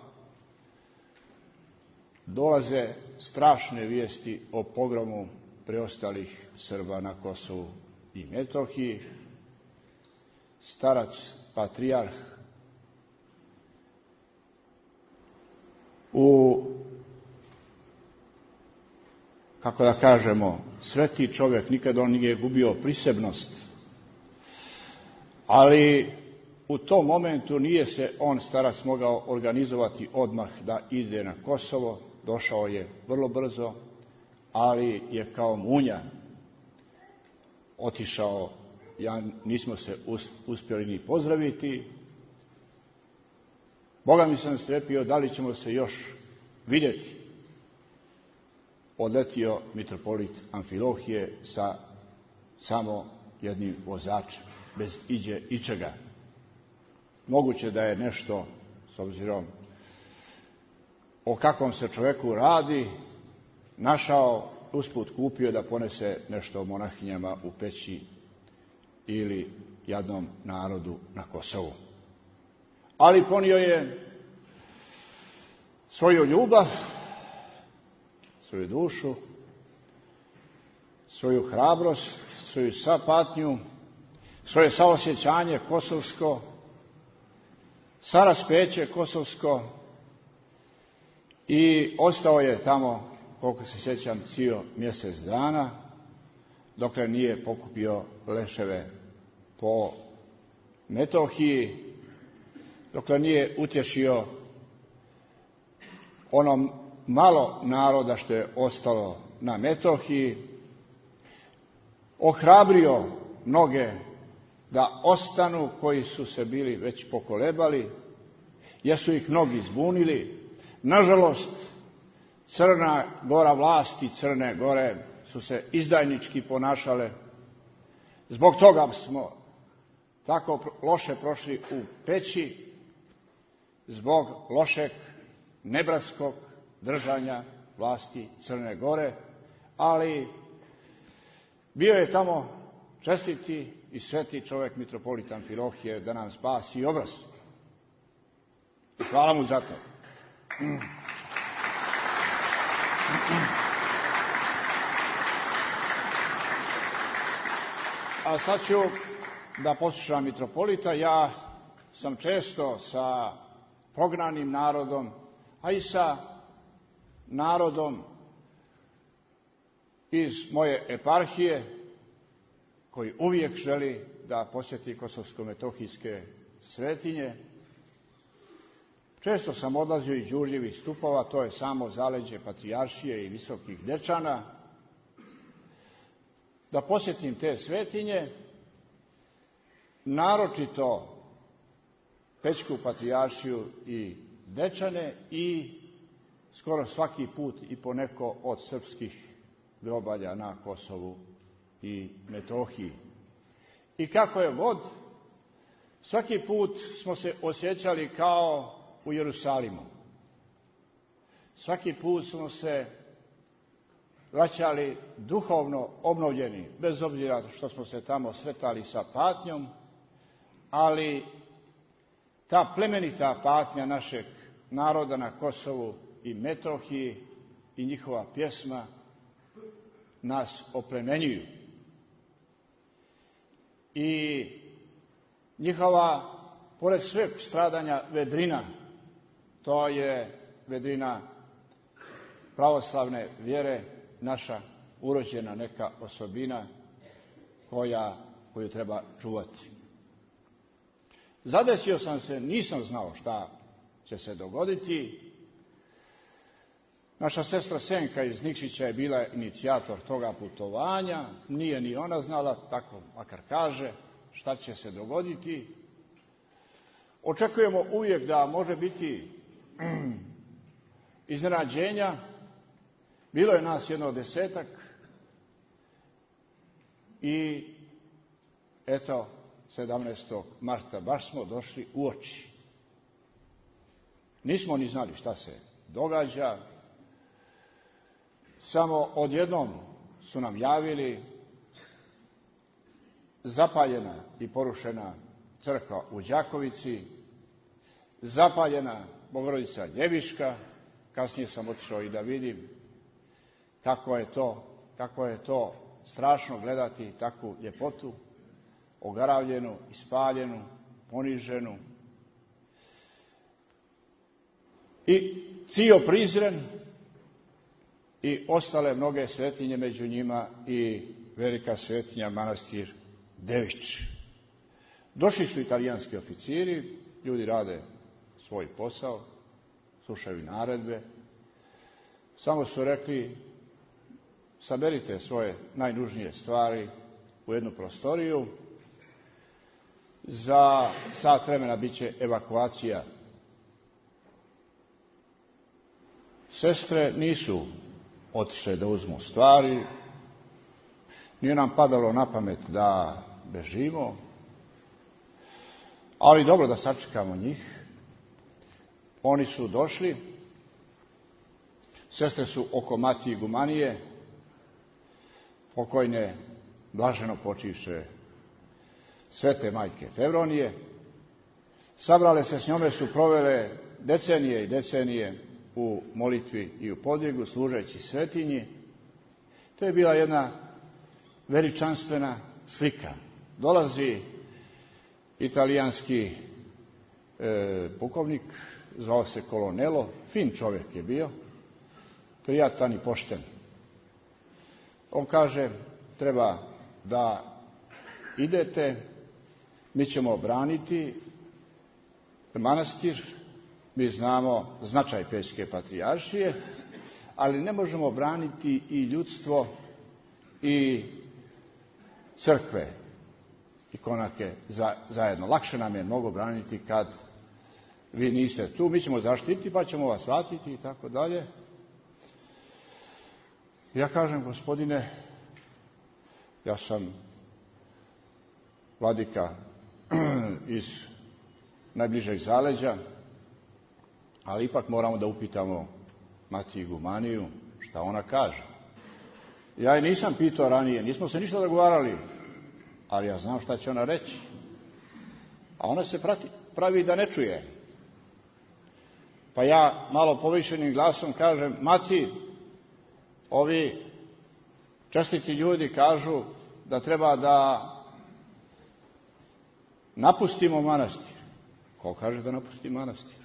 dolaze strašne vijesti o pogromu preostalih Srba na Kosovu i Metohiji. Starac patrijarh kako da kažemo, sveti čovjek, nikad on nije gubio prisebnost, ali u tom momentu nije se on, starac, mogao organizovati odmah da ide na Kosovo. Došao je vrlo brzo, ali je kao munja otišao. Nismo se uspjeli ni pozdraviti. Boga mi sam strepio da li ćemo se još vidjeti. Odletio mitropolit Amfilohije sa samo jednim vozačem, bez iđe ičega. Moguće da je nešto, s obzirom o kakvom se čovjeku radi, našao, usput kupio da ponese nešto monahinjama u Peći ili jadnom narodu na Kosovu. Ali ponio je svoju ljubav, svoju dušu, svoju hrabrost, svoju sapatnju, svoje saosjećanje kosovsko, saraspeće kosovsko, i ostao je tamo, koliko se sjećam, cijel mjesec dana, dokle nije pokupio leševe po Metohiji, dokle nije utješio ono malo naroda što je ostalo na Metohiji, ohrabrio mnoge da ostanu koji su se bili već pokolebali, jer su ih mnogi zbunili. Nažalost, Crna Gora vlasti Crne Gore su se izdajnički ponašale. Zbog toga smo tako loše prošli u Peći, zbog lošeg nebratskog držanja vlasti Crne Gore, ali bio je tamo čestiti i sveti čovjek mitropolit Amfilohije da nam spasi obraz. Hvala mu za to. A sad ću da poslušam mitropolita. Ja sam često sa prognanim narodom, a i sa narodom iz moje eparhije, koji uvijek želi da posjeti kosovsko-metohijske svetinje. Često sam odlazio iz Đurđevih stupova, to je samo zaleđe Patrijaršije i Visokih Dečana, da posjetim te svetinje, naročito Pećku Patrijaršiju i Dečane i skoro svaki put i po neko od srpskih grobalja na Kosovu i Metohiji. I kako je god, svaki put smo se osjećali kao u Jerusalimu. Svaki put smo se vraćali duhovno obnovljeni, bez obzira što smo se tamo sretali sa patnjom, ali ta plemenita patnja našeg naroda na Kosovu i Metohiji i njihova pjesma nas oplemenjuju. I njihova, pored sveg stradanja, vedrina, to je vedrina pravoslavne vjere, naša urođena neka osobina koju treba čuvati. Zadesio sam se, nisam znao šta će se dogoditi. Naša sestra Senka iz Nikšića je bila inicijator toga putovanja. Nije ni ona znala, tako makar kaže, šta će se dogoditi. Očekujemo uvijek da može biti iznenađenja. Bilo je nas jedno 10 i eto, 17. marta baš smo došli u oči. Nismo ni znali šta se događa. Samo odjednom su nam javili zapaljena i porušena crkva u Đakovici, zapaljena Bogorodica Ljeviška. Kasnije sam otišao i da vidim kako je to strašno gledati takvu ljepotu, ogaravljenu, ispaljenu, poniženu. I Cio Prizren i ostale mnoge svetinje, među njima i velika svetinja manastir Dević. Došli su italijanski oficiri, ljudi rade svoj posao, slušaju naredbe. Samo su rekli, saberite svoje najnužnije stvari u jednu prostoriju. Za sat vremena bit će evakuacija. Sestre nisu otišle da uzmu stvari. Nije nam padalo na pamet da bežimo. Ali dobro, da sačekamo njih. Oni su došli. Sestre su oko Matije Gumanije, pokojne, blaženo počivše svete majke Fevronije. Sabrale se s njome, su provele decenije i decenije u molitvi i u podvigu, služeći svetinji. To je bila jedna veličanstvena slika. Dolazi italijanski pukovnik, zvao se Colonello, fin čovjek je bio, prijatan i pošten. On kaže, treba da idete, mi ćemo braniti manastir, mi znamo značaj Pećke Patrijaršije, ali ne možemo braniti i ljudstvo i crkve i konake zajedno. Lakše nam je mnogo braniti kad vi niste tu, mi ćemo zaštiti pa ćemo vas vratiti i tako dalje. Ja kažem, gospodine, ja sam vladika iz najbližeg zaleđa, ali ipak moramo da upitamo Matiju Gumaniju šta ona kaže. Ja je nisam pitao ranije, nismo se ništa dogovarali, ali ja znam šta će ona reći. A ona se pravi da ne čuje. Pa ja malo povišenim glasom kažem, Mati, ovi čestiti ljudi kažu da treba da napustimo manastir. Ko kaže da napusti manastir?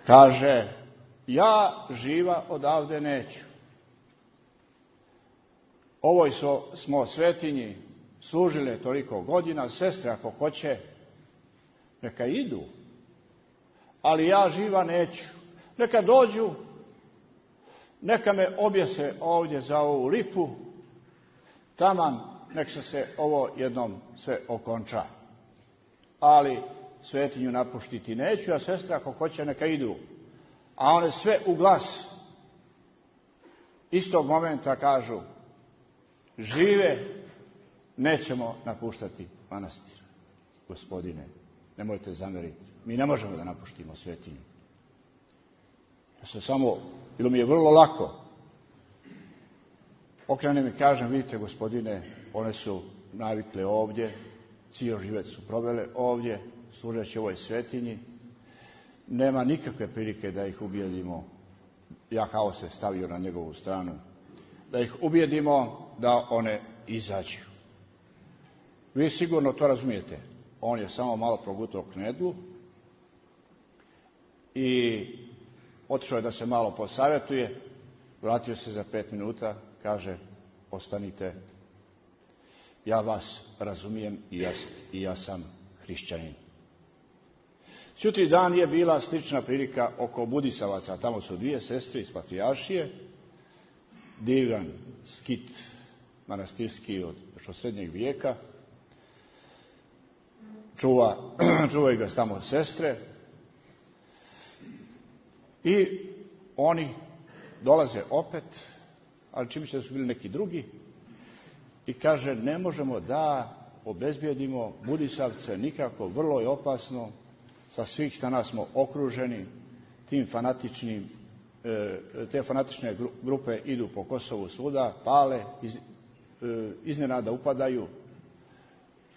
Kaže, ja živa odavde neću. Ovoj smo svetinji služile toliko godina, sestre ako hoće, neka idu, ali ja živa neću. Neka dođu, neka me objese ovdje za ovu lipu, taman nek se ovo jednom sve okonča. Ali svetinju napuštiti neću, a sestre ako hoće neka idu. A one sve u glas istog momenta kažu, žive, nećemo napuštati manastir. Gospodine, nemojte zameriti, mi ne možemo da napuštimo svetinju. Ja se samo, bilo mi je vrlo lako, okrenem i kažem, vidite gospodine, one su navikle ovdje, cijel život su provele ovdje, služeći ovoj svetinji, nema nikakve prilike da ih ubijedimo, ja kao se stavio na njegovu stranu, da ih ubijedimo da one izađu. Vi sigurno to razumijete. On je samo malo progutao knedlu i otišao je da se malo posavjetuje, vratio se za 5 minuta, kaže, ostanite, ja vas razumijem i ja sam hrišćanin. Sutri dan je bila slična prilika oko Budisavaca, tamo su 2 sestre iz Patrijaršije, divan skit manastirski još od srednjeg vijeka, čuvaju ga tamo sestre i oni dolaze opet, ali čim da su bili neki drugi, i kaže, ne možemo da obezbijedimo Budisavce nikako, vrlo je opasno, sa svih strana smo okruženi tim fanatičnim, te fanatične grupe idu po Kosovu svuda, pale, iznenada upadaju.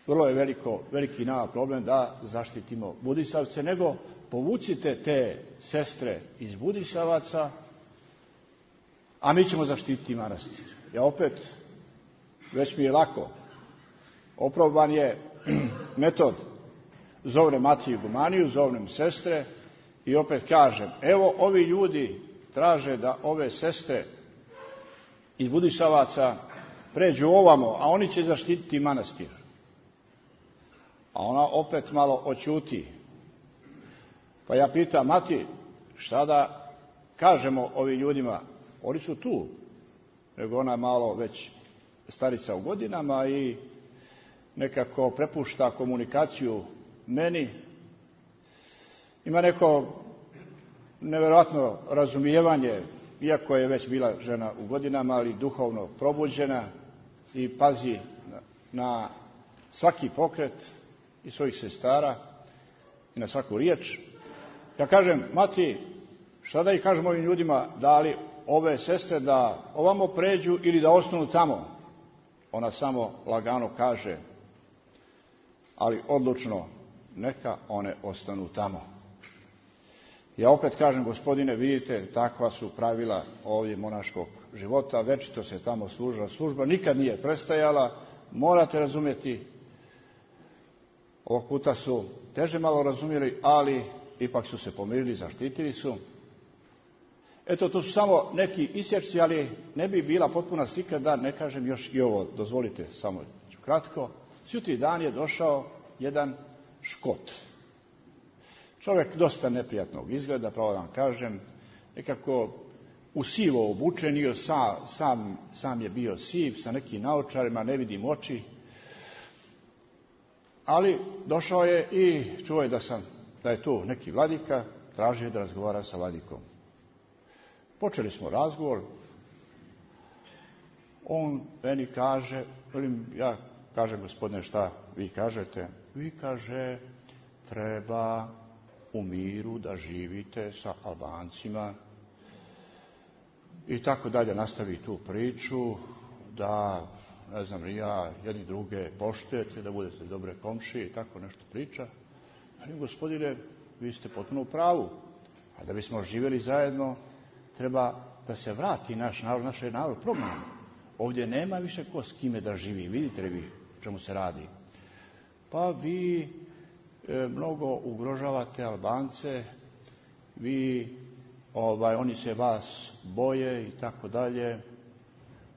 Vrlo je veliki nama problem da zaštitimo Budisavce, nego povucite te sestre iz Budisavaca, a mi ćemo zaštititi manastir. Ja opet, već mi je lako, oproban je metod, zovnem Matiju Gumaniju, zovnem sestre i opet kažem, evo ovi ljudi traže da ove sestre iz Budisavaca pređu ovamo, a oni će zaštititi manastir. A ona opet malo oćuti. Pa ja pitam, Mati, šta da kažemo ovim ljudima? Oni su tu. Nego ona malo već starica u godinama i nekako prepušta komunikaciju meni. Ima neko nevjerojatno razumijevanje, iako je već bila žena u godinama, ali duhovno probuđena i pazi na svaki pokret i svojih sestara i na svaku riječ. Ja kažem, Mati, šta da ih kažem ovim ljudima, da li ove sestre da ovamo pređu ili da ostanu tamo? Ona samo lagano kaže, ali odlučno, neka one ostanu tamo. Ja opet kažem, gospodine, vidite, takva su pravila ovdje monaškog života, večito se tamo služila služba, nikad nije prestajala, morate razumjeti. Ovog puta su teže malo razumjeli, ali ipak su se pomirili, zaštitili su. Eto, to su samo neki isječci, ali ne bi bila potpuna slika da ne kažem još i ovo. Dozvolite, samo ću kratko. Sutri dan je došao jedan Škot. Čovjek dosta neprijatnog izgleda, pravo da vam kažem, nekako u sivo obučen, sam je bio siv, sa nekim naočarima, ne vidim oči. Ali došao je i čuo je da je tu neki vladika, tražio da razgovara sa vladikom. Počeli smo razgovor. On meni kaže, ja kažem, gospodine, šta vi kažete? Vi, kaže, treba u miru da živite sa Albancima i tako dalje. Nastavi tu priču, da, ne znam, ja jedni druge poštujete, da budete dobre komšije i tako nešto priča. Ali, gospodine, vi ste potpuno u pravu. A da bismo živjeli zajedno, treba da se vrati naš narod, naš je narod prognan. Ovdje nema više ko s kime da živi. Vidite li vi čemu se radi? Pa vi mnogo ugrožavate Albance, oni se vas boje i tako dalje.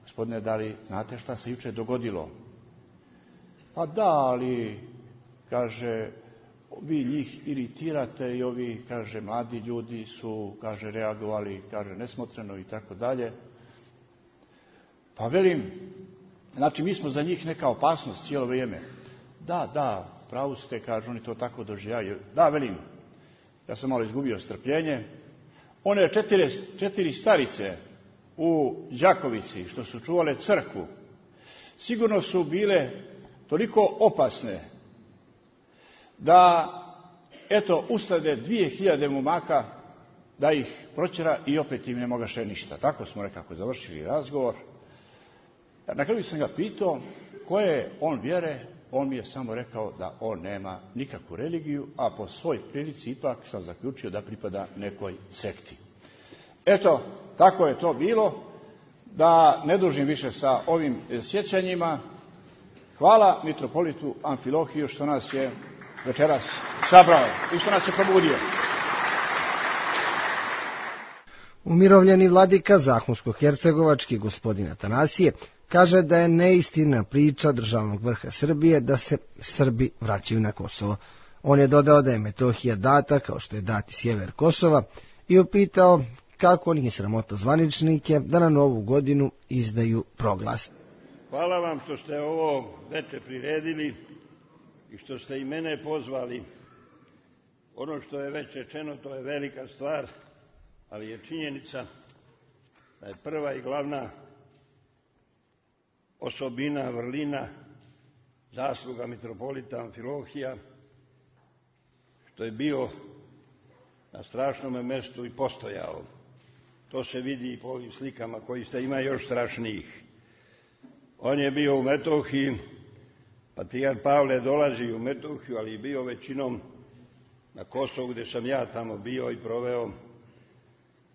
Gospodine, da li znate šta se jučer dogodilo? Pa da, ali, kaže, vi njih iritirate i ovi, kaže, mladi ljudi su, kaže, reagovali, kaže, nesmotreno i tako dalje. Pa velim, znači mi smo za njih neka opasnost cijelo vrijeme. Da, pravo ste, kaže, oni to tako doživljaju. Da, velim, ja sam malo izgubio strpljenje. One 4 starice u Đakovici što su čuvale crkvu, sigurno su bile toliko opasne da, eto, uslede 2000 momaka da ih proćera i opet im ne mogaše ništa. Tako smo nekako završili razgovor. Na kraju sam ga pitao koje je on vjere. On mi je samo rekao da on nema nikakvu religiju, a po svoj prilici ipak sam zaključio da pripada nekoj sekti. Eto, tako je to bilo. Da ne dužim više sa ovim sjećanjima. Hvala mitropolitu Amfilohiju što nas je večeras sabrao i što nas je probudio. Umirovljeni vladika Zahumsko-hercegovački gospodin Atanasije kaže da je neistina priča državnog vrha Srbije da se Srbi vraćaju na Kosovo. On je dodao da je Metohija data kao što je dati sjever Kosova i upitao kako nije sramota zvaničnike da na Novu godinu izdaju proglas. Hvala vam što ste ovo veče priredili i što ste i mene pozvali. Ono što je već rečeno, to je velika stvar, ali je činjenica da je prva i glavna osobina, vrlina, zasluga mitropolita Amfilohija, što je bio na strašnome mjestu i postojao. To se vidi i po ovim slikama koji ste, ima još strašnijih. On je bio u Metohiji, patrijarh Pavle dolazi u Metohiju, ali je bio većinom na Kosovu gdje sam ja tamo bio i proveo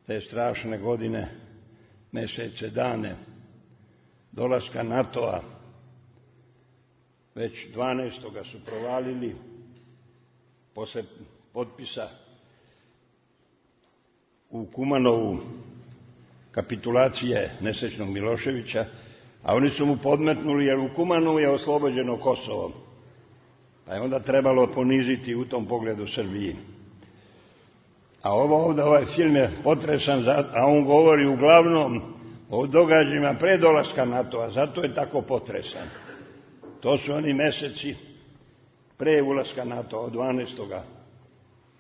te strašne godine, mjesece, dane dolaska NATO-a. Već 12. su provalili posle potpisa u Kumanovu kapitulacije nesrećnog Miloševića, a oni su mu podmetnuli jer u Kumanovu je oslobođeno Kosovo. Pa je onda trebalo poniziti u tom pogledu Srbiji. A ovaj film je potresan, a on govori uglavnom o događajima pre dolaska NATO-a, zato je tako potresan. To su oni mjeseci pre ulaska NATO-a od 12.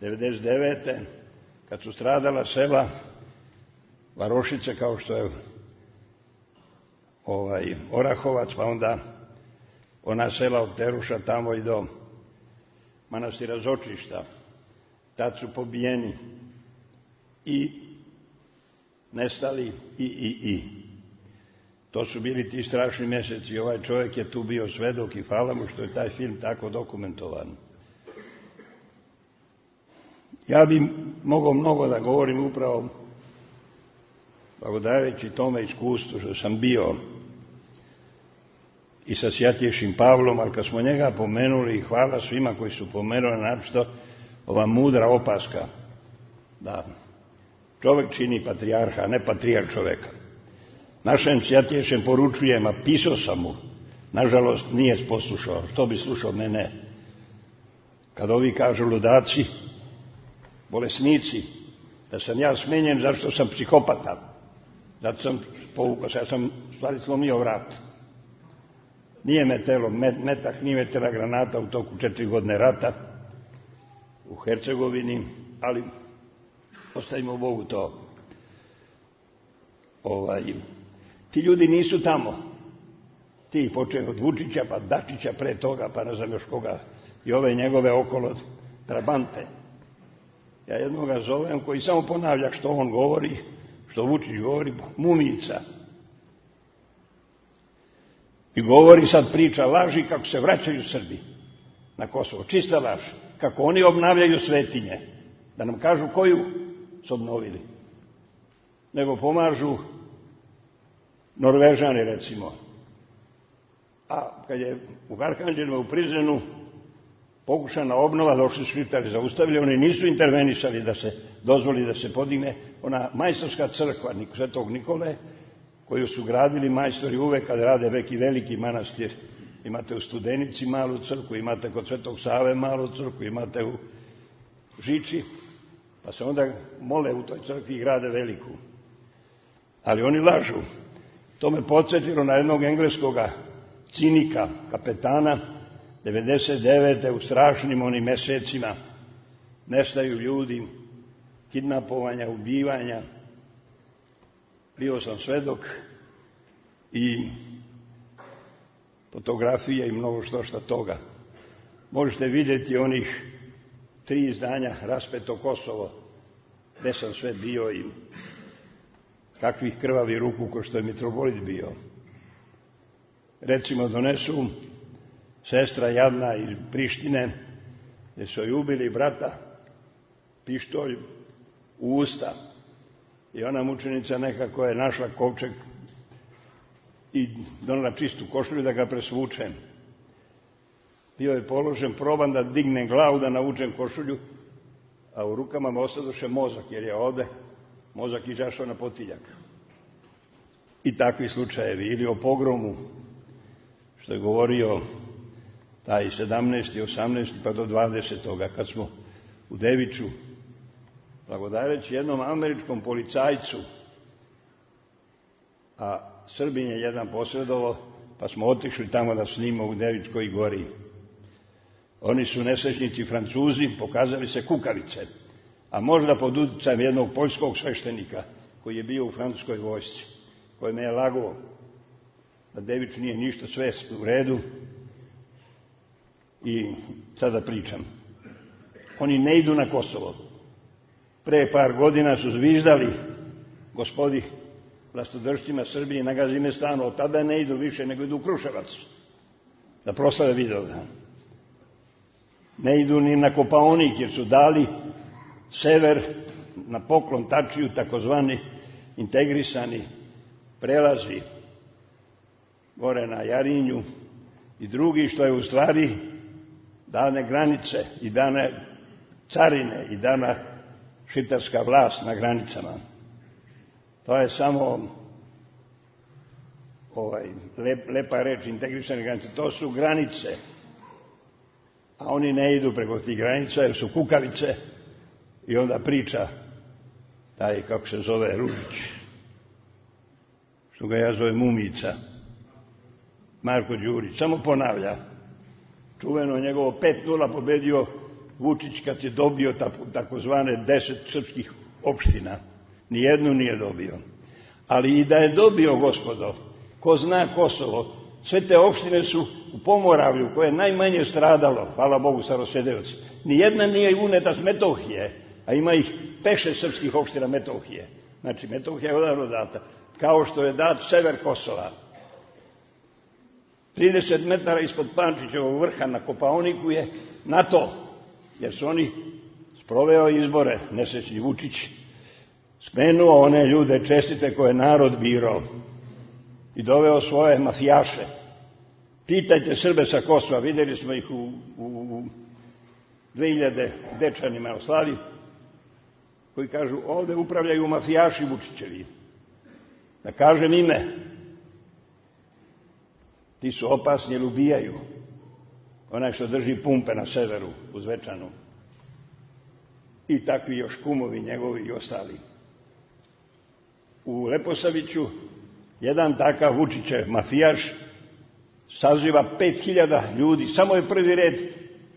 99. kad su stradala sela Varošice kao što je Orahovac, pa onda ona sela od Teruša tamo i do manastira Zočišta. Tad su pobijeni i nestali i. To su bili ti strašni mjeseci. Ovaj čovjek je tu bio svedok i hvala mu što je taj film tako dokumentovan. Ja bi mogao mnogo da govorim upravo blagodajući tome iskustvu što sam bio i sa Sjatješim Pavlom, ali kad smo njega pomenuli, i hvala svima koji su pomenuli, naprosto ova mudra opaska da čovjek čini patrijarha, a ne patrijarh čovjeka. Našem Sjatješem poručujem, a pisao sam mu, nažalost nije poslušao, što bi slušao mene. Kad ovi kažu ludaci, bolesnici, da sam ja smenjen zašto sam psihopata, zato sam povukao se, ja sam stvari slomio vrat. Nije me telo metak, nije me tela granata u toku 4 godine rata u Hercegovini, ali ostavimo Bogu to. Ti ljudi nisu tamo. Ti počeo od Vučića, pa Dačića pre toga, pa ne znam još koga, i ove njegove okolo trabante. Ja jednoga zovem koji samo ponavlja što on govori, što Vučić govori, mumica. I govori sad priča laži kako se vraćaju Srbi na Kosovo. Čista laž. Kako oni obnavljaju svetinje. Da nam kažu koju su obnovili. Nego pomažu Norvežani, recimo. A kad je u Arkanđelu u Prizrenu pokušana obnova, došli su Šiptari, zaustavili, oni nisu intervenisali da se dozvoli da se podigne ona majstorska crkva Svetog Nikole, koju su gradili majstori uvek kad rade neki veliki manastir. Imate u Studenici malu crkvu, imate kod Svetog Save malu crkvu, imate u Žiči, pa se onda mole u toj crkvi i grade veliku. Ali oni lažu. To me podsjetilo na jednog engleskoga cinika, kapetana, 99. u strašnim onim mesecima. Nestaju ljudi, kidnapovanja, ubivanja. Bio sam svedok i fotografije i mnogo što toga. Možete vidjeti onih 3 izdanja Raspeto Kosovo, gde sam sve bio i kakvih krvavi ruku ko što je mitropolit bio. Recimo donesu sestra jadna iz Prištine, gde su joj ubili brata, pištolj u usta. I ona mučenica nekako je našla kovčeg i donela čistu košulju da ga presvučem. Bio je položen, probam da dignem glavu, da navučem košulju, a u rukama me ostadoše mozak, jer je ovde mozak izašao na potiljak. I takvi slučajevi. Ili o pogromu, što je govorio taj 17. 18. pa do 20. kad smo u Deviču, blagodareći jednom američkom policajcu, a Srbin je jedan posredovo, pa smo otišli tamo da snima u Devičkoj gori. Oni su nesrećnici Francuzi, pokazali se kukavice, a možda pod uticajem jednog poljskog sveštenika koji je bio u francuskoj vojsci, koji me je lagao da Devič nije ništa, sve u redu. I sada pričam. Oni ne idu na Kosovo. Pre par godina su zviždali gospodi vlastodržcima Srbije na Gazimestanu, od tada ne idu više nego idu u Kruševac da proslave Vidovdan. Ne idu ni na Kopaonik jer su dali sever na poklon Tačiju, takozvani integrisani prelazi gore na Jarinju i drugi, što je u stvari dane granice i dane carine i dana šiptarska vlast na granicama. To je samo lepa reč, integrisane granice. To su granice, a oni ne idu preko tih granica jer su kukavice. I onda priča taj, kako se zove, Ružić, što ga ja zovem Mumica, Marko Đurić, samo ponavlja. Čuveno njegovo 5-0 pobedio Vučić kad je dobio takozvane 10 srpskih opština. Nijednu nije dobio. Ali i da je dobio, gospodo, ko zna Kosovo, sve te opštine su u Pomoravlju, koje je najmanje stradalo, hvala Bogu, Starosedeoci. Nijedna nije uneta s Metohije, a ima ih 5-6 srpskih opština Metohije. Znači, Metohija je odavno data. Kao što je dat sever Kosova. 30 metara ispod Pančićevog vrha na Kopaoniku je NATO, jer su oni sproveo izbore, nesrećni Vučić, smenuo one ljude čestite koje narod birao i doveo svoje mafijaše. Pitajte Srbe sa Kosova, vidjeli smo ih u 2000 Dečanima u Slavi, koji kažu ovde upravljaju mafijaši Vučićevi. Da kažem ime, ti su opasni jer ubijaju. Onaj što drži pumpe na severu, u Zvečanu. I takvi još kumovi njegovi i ostali. U Leposaviću jedan takav Vučićev mafijaš saziva 5000 ljudi, samo je prvi red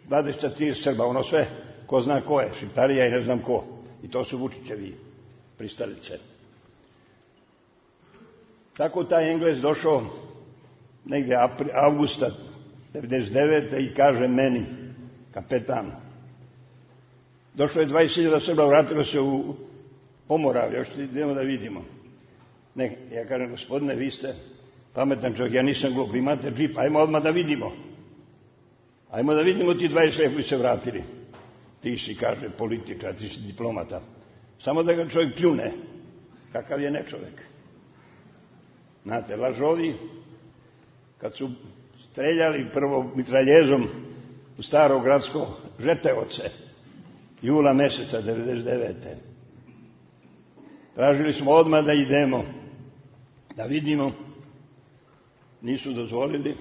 23 Srba, ono sve ko zna ko je, Šiptarija i ne znam ko. I to su Vučićevi pristalice. Tako taj Englez došao negdje avgusta 1999. i kaže meni, kapetan, došlo je 20.000 Srba, vratilo se u Pomoravlje, još idemo da vidimo. Ne, ja kažem, gospodine, vi ste pametan čovjek, ja nisam glup, vi imate džip, ajmo odmah da vidimo. Ajmo da vidimo ti 20 koji se vratili. Ti si, kaže, političar, ti si diplomata. Samo da ga čovjek pljune. Kakav je nečovjek. Znate, lažovi, kad su streljali prvo mitraljezom u Staro gradsko Žeteoce, jula meseca 1999. Tražili smo odmah da idemo, da vidimo. Nisu dozvolili,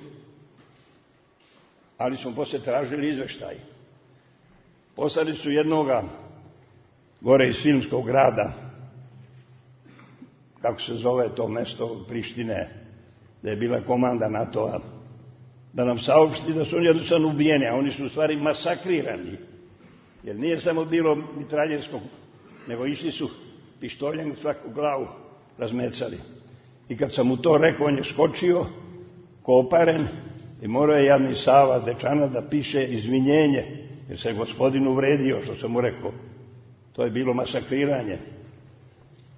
ali smo poslije tražili izveštaj. Poslali su jednoga gore iz Filmskog grada, kako se zove to mesto Prištine, da je bila komanda NATO-a, da nam saopšti da su oni jednostavno ubijeni, a oni su u stvari masakrirani. Jer nije samo bilo mitraljerskog, nego išli su pištoljem u svaku glavu razmecali. I kad sam mu to rekao, on je skočio, koparen, i morao je jadni Sava Dečana da piše izvinjenje, jer se gospodin uvredio, što sam mu rekao. To je bilo masakriranje.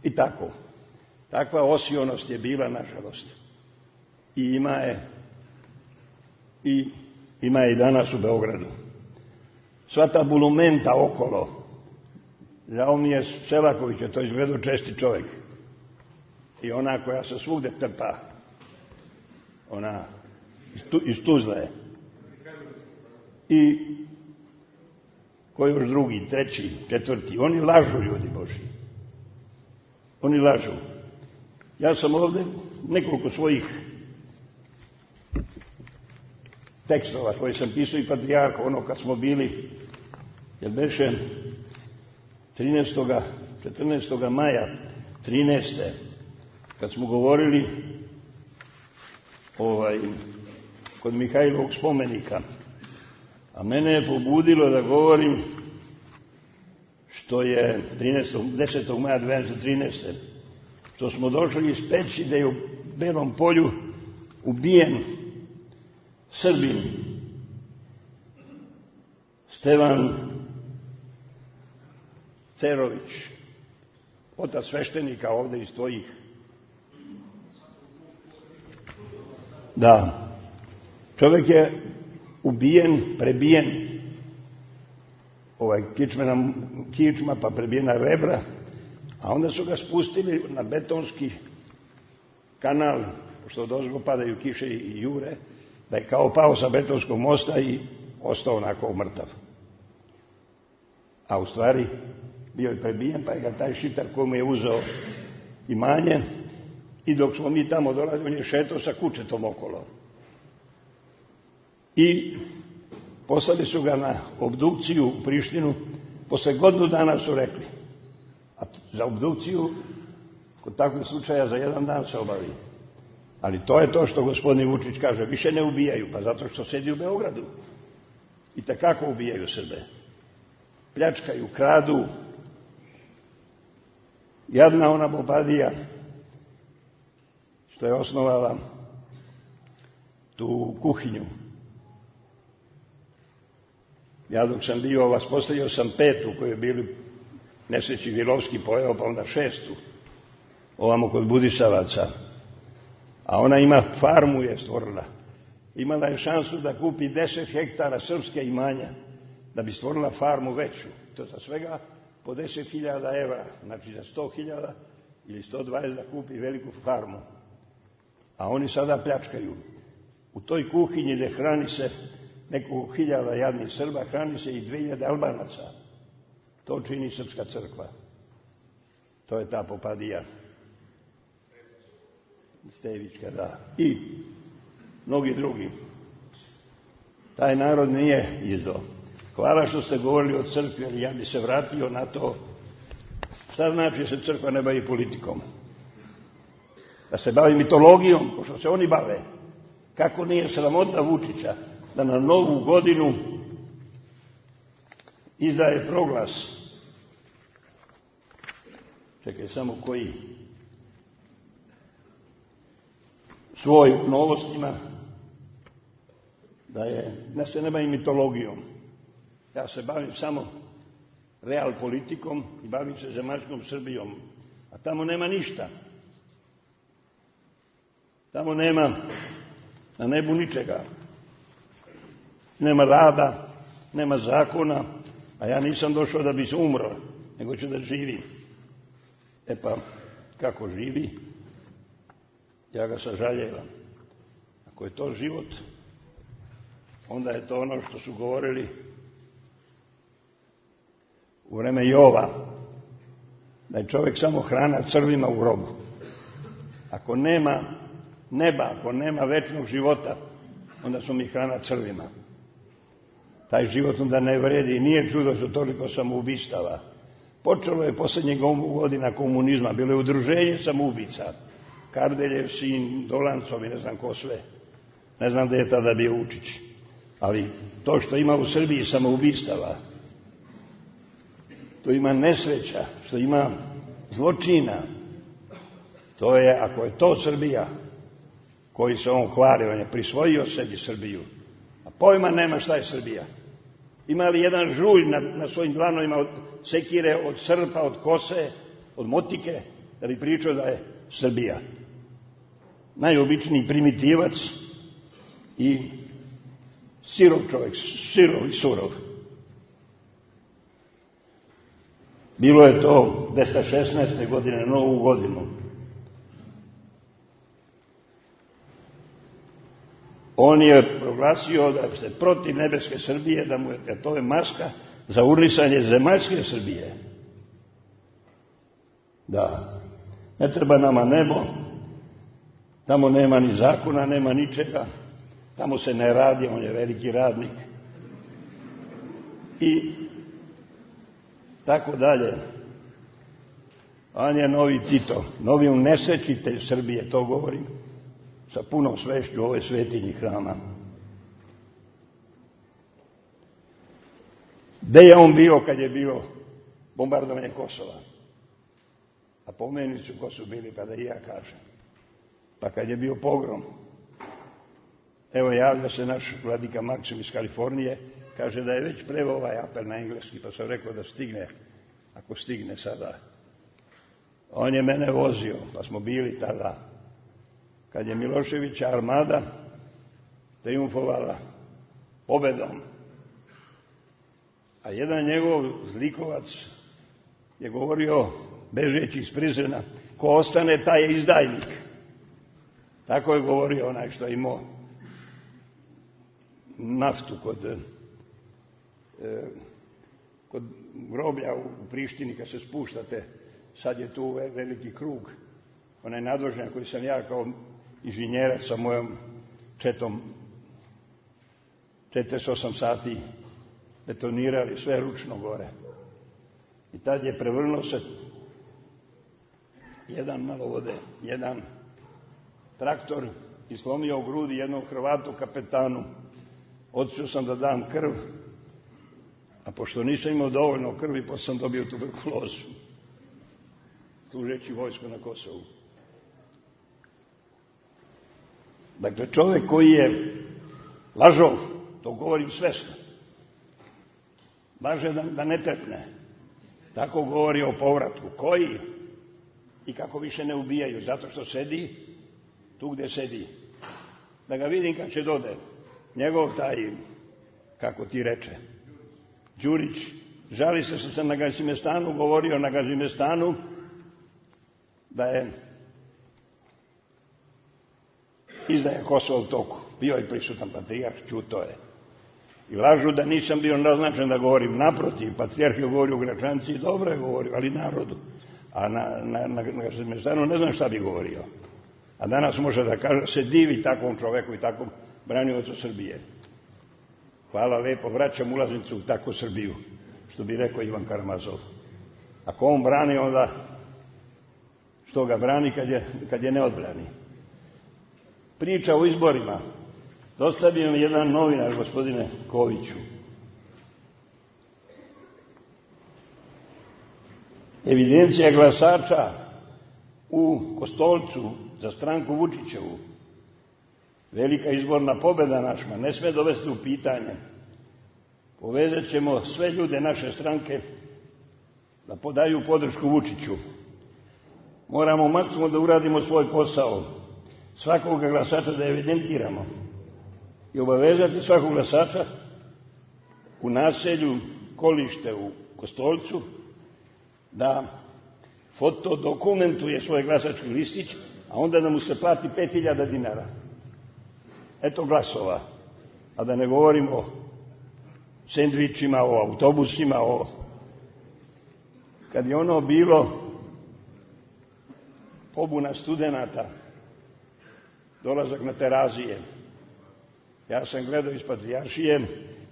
I tako. Takva osionost je bila, nažalost. I ima je i danas u Beogradu. Sva ta bulumenta okolo, žao mi je Selakovića, to je izgledao česti čovjek. I ona koja se svugde trpa, ona iz Tuzle je. I ko još drugi, treći, četvrti, oni lažu, ljudi Boži. Oni lažu. Ja sam ovdje nekoliko svojih tekstova koje sam pisao i Patrijarhu, ono kad smo bili, jer beše 14. maja 13. kad smo govorili kod Mihajlovog spomenika, a mene je pobudilo da govorim što je 10. maja 2013. što smo došli iz Peći da je u Belom polju ubijen Srbin Stevan Cerović, otac sveštenika ovdje iz tvojih. Da, čovjek je ubijen, prebijen, kičma pa prebijena rebra, a onda su ga spustili na betonski kanal, pošto odozgo padaju kiše i jure, da je kao pao sa betonskog mosta i ostao onako mrtav. A u stvari bio je prebijen, pa je ga taj šitar komu je uzeo imanje i dok smo mi tamo dolazili, on je šetao sa kučetom okolo. I poslali su ga na obdukciju u Prištinu, posle godinu dana su rekli. A za obdukciju, kod takvih slučaja, za jedan dan se obavi. Ali to je to što gospodin Vučić kaže, više ne ubijaju, pa zato što sedi u Beogradu. I takako ubijaju Srbe. Pljačkaju, kradu. Jadna ona Bobadija, što je osnovala tu kuhinju. Ja dok sam bio, vaspostavio sam 5. koju je bili nesreći Vilovski pojeo, pa onda 6. ovamo kod Budisavaca. A ona ima farmu je stvorila. Imala je šansu da kupi 10 hektara srpske imanja, da bi stvorila farmu veću. To za svega po 10.000 evra, znači za 100.000 ili 120 da kupi veliku farmu. A oni sada pljačkaju. U toj kuhinji gdje hrani se nekoliko hiljada jadnih Srba, hrani se i 2000 Albanaca. To čini Srpska crkva. To je ta Popadija. Stevićka, da. I mnogi drugi. Taj narod nije izdao. Hvala što ste govorili o crkvi, ali ja bi se vratio na to. Šta znači se crkva ne bavi politikom? Da se bavi mitologijom, pošto se oni bave. Kako nije sramota Vučića da na Novu godinu izdaje proglas. Čekaj, samo koji? svoj novostima, da se ne bavim mitologijom. Ja se bavim samo real politikom i bavim se zemaljskom Srbijom. A tamo nema ništa. Tamo nema na nebu ničega. Nema rada, nema zakona, a ja nisam došao da bi se umro, nego ću da živim. E pa, kako živi, ja ga sažaljevam. Ako je to život, onda je to ono što su govorili u vreme Jova, da je čovjek samo hrana crvima u grobu. Ako nema neba, ako nema večnog života, onda smo mi hrana crvima. Taj život onda ne vredi i nije čudo što toliko samoubistava. Počelo je posljednjih godina komunizma, bilo je udruženje samoubica. Kardeljev sin, Dolancov i ne znam ko sve. Ne znam da je tada bio Vučić. Ali to što ima u Srbiji samoubistava, to ima nesreća, što ima zločina, to je, ako je to Srbija, koji se on hvali, on je prisvojio sebi Srbiju, a pojma nema šta je Srbija. Ima li jedan žulj na svojim dlanovima od sekire, od srpa, od kose, od motike, da bi pričao da je Srbija? Najobičniji primitivac i sirov čovjek, sirov i surov. Bilo je to 216. godine, na Novu godinu. On je proglasio da se protiv nebeske Srbije, da to je maska za urnisanje zemaljske Srbije. Da, ne treba nama nebo, tamo nema ni zakona, nema ničega, tamo se ne radi, on je veliki radnik. I tako dalje. On je novi Tito, novi unesrećitelj Srbije, to govorim sa punom svešću ove svetinji hrama. Gde je on bio kad je bio bombardovanje Kosova? A pomeni su ko su bili, pa da i ja kažem. Pa kad je bio pogrom, evo javlja se naš vladika Maksim iz Kalifornije, kaže da je već preveo ovaj apel na engleski, pa sam rekao da stigne, ako stigne sada. On je mene vozio, pa smo bili tada, kad je Miloševića armada triumfovala pobedom. A jedan njegov zlikovac je govorio, bežeći iz prizrena, ko ostane, taj je izdajnik. Tako je govorio onaj što je imao naftu kod groblja u Prištini, kad se spuštate, sad je tu veliki krug, onaj nadvožnjak koji sam ja kao inženjerac sa mojom četom 48 sati betonirali, sve ručno gore. I tad je prevrnuo se jedan malo vode, jedan traktor i slomio u grudi jednom Hrvatu kapetanu. Otišao sam da dam krv, a pošto nisam imao dovoljno krvi, pa sam dobio tuberkulozu, služeći vojsku na Kosovu. Dakle, čovjek koji je lažov, to govorim svesno, laže da ne trepne, tako govori o povratku. Koji? I kako više ne ubijaju, zato što sedi tu gde sedi. Da ga vidim kad će dode. Njegov taj, kako ti reče, Đurić, žali se što sam na Gazimestanu govorio, na Gazimestanu, da je izdaje Kosovo u toku. Bio je prisutan patrijarh, čuto je. I lažu da nisam bio naznačen da govorim. Naprotiv, patrijarh je govorio u Gračanci i dobro je govorio, ali narodu. A na Gazimestanu ne znam šta bi govorio. A danas može da kaže, se divi takvom čoveku i takvom braniocu Srbije. Hvala lepo, vraćam ulaznicu u takvu Srbiju, što bi rekao Ivan Karamazov. Ako on brani, onda što ga brani kad je ne odbrani. Priča o izborima. Dostavio mi jedan novinar, gospodine Koviću. Evidencija glasača u Kostolcu za stranku Vučićevu velika izborna pobjeda naša ne sme dovesti u pitanje. Povezat ćemo sve ljude naše stranke da podaju podršku Vučiću. Moramo maksimum da uradimo svoj posao, svakog glasača da evidentiramo i obavezati svakog glasača u naselju Kolište u Kostolcu da fotodokumentuje svoj glasački listić, a onda da mu se plati 5.000 dinara. Eto glasova. A da ne govorimo o sendvičima, o autobusima, kad je ono bilo pobuna studenata, dolazak na Terazije. Ja sam gledao iz Patrijaršije,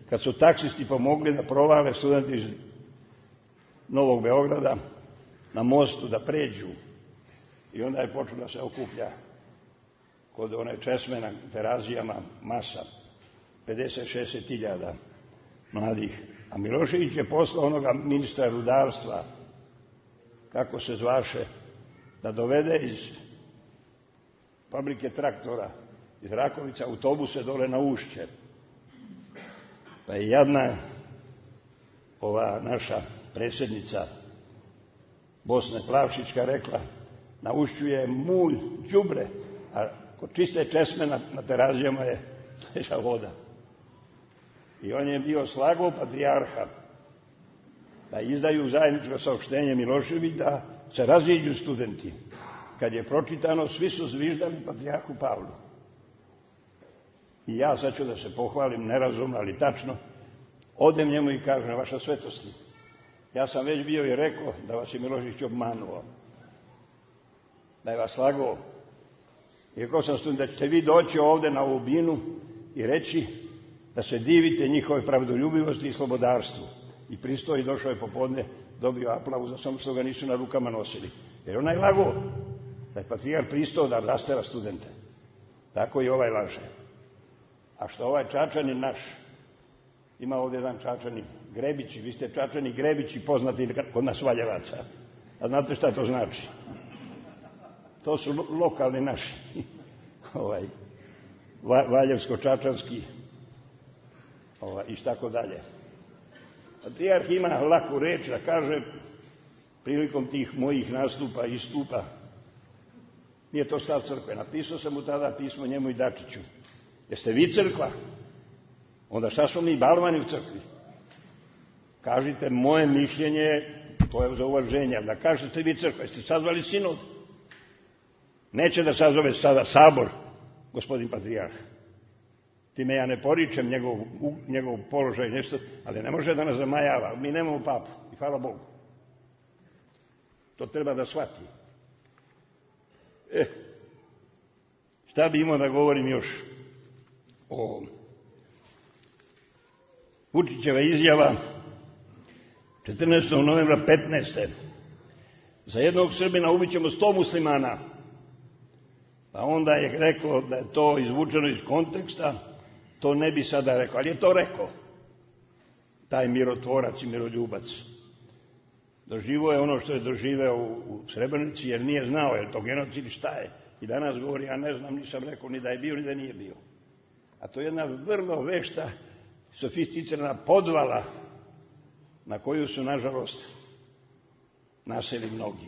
kad su taksisti pomogli da provale studenti iz Novog Beograda na mostu da pređu. I onda je počelo da se okuplja kod one česme na Terazijama masa, 50-60 hiljada mladih. A Milošević je poslao onoga ministra rudarstva, kako se zvaše, da dovede iz fabrike traktora, iz Rakovica, autobuse dole na Ušće. Pa je jadna ova naša predsjednica Bosne Plavšićka rekla, na Ušću je mulj, đubre, a kod čiste česme na Terazijama je teža voda. I on je bio slagao patrijarha da izdaju zajedničko saopštenje Milošević da se raziđu studenti. Kad je pročitano, svi su zviždali patrijarhu Pavlu. I ja sad ću da se pohvalim, nerazumno, ali tačno, odem njemu i kažem, vaša svetosti, ja sam već bio i rekao da vas je Milošević obmanuo, da je vas slagao. I rekao sam student da ćete vi doći ovde na ovu binu i reći da se divite njihove pravdoljubivosti i slobodarstvu. I pristao i došao je popodne, dobio aplauz, a samo što ga nisu na rukama nosili. Jer onaj lagao da je patrijarh pristao da rastera studente. Tako i ovaj laže. A što ovaj Čačanin naš, ima ovdje jedan Čačanin, Grebići, vi ste Čačani Grebići poznati kod nas Valjevaca. A znate šta to znači? To su lokalni naši, Valjevsko-Čačanski i tako dalje. Patrijarh ima laku reč da kaže prilikom tih mojih nastupa i istupa, nije to stav crkve. Napisao sam mu tada pismo njemu i Dačiću. Jeste vi crkva? Onda šta smo mi balvani u crkvi? Kažite moje mišljenje, to je za uvaženje, da kažete vi crkva, jeste sazvali sinod? Neće da sazove sada sabor, gospodin patrijarh. Time ja ne poričem njegov položaj nešto, ali ne može da nas zamajava. Mi nemamo papu i hvala Bogu. To treba da shvati. Šta bi imao da govorim još o Vučićeva izjava 14. novembra 15. Za jednog Srbina ubićemo 100 muslimana. Pa onda je rekao da je to izvučeno iz konteksta, to ne bi sada rekao, ali je to rekao. Taj mirotvorac i miroljubac. Doživio je ono što je doživeo u Srebrenici, jer nije znao, je to genocid, šta je. I danas govori, ja ne znam, nisam rekao ni da je bio, ni da nije bio. A to je jedna vrlo vešta, sofisticirana podvala na koju su, nažalost, naseli mnogi.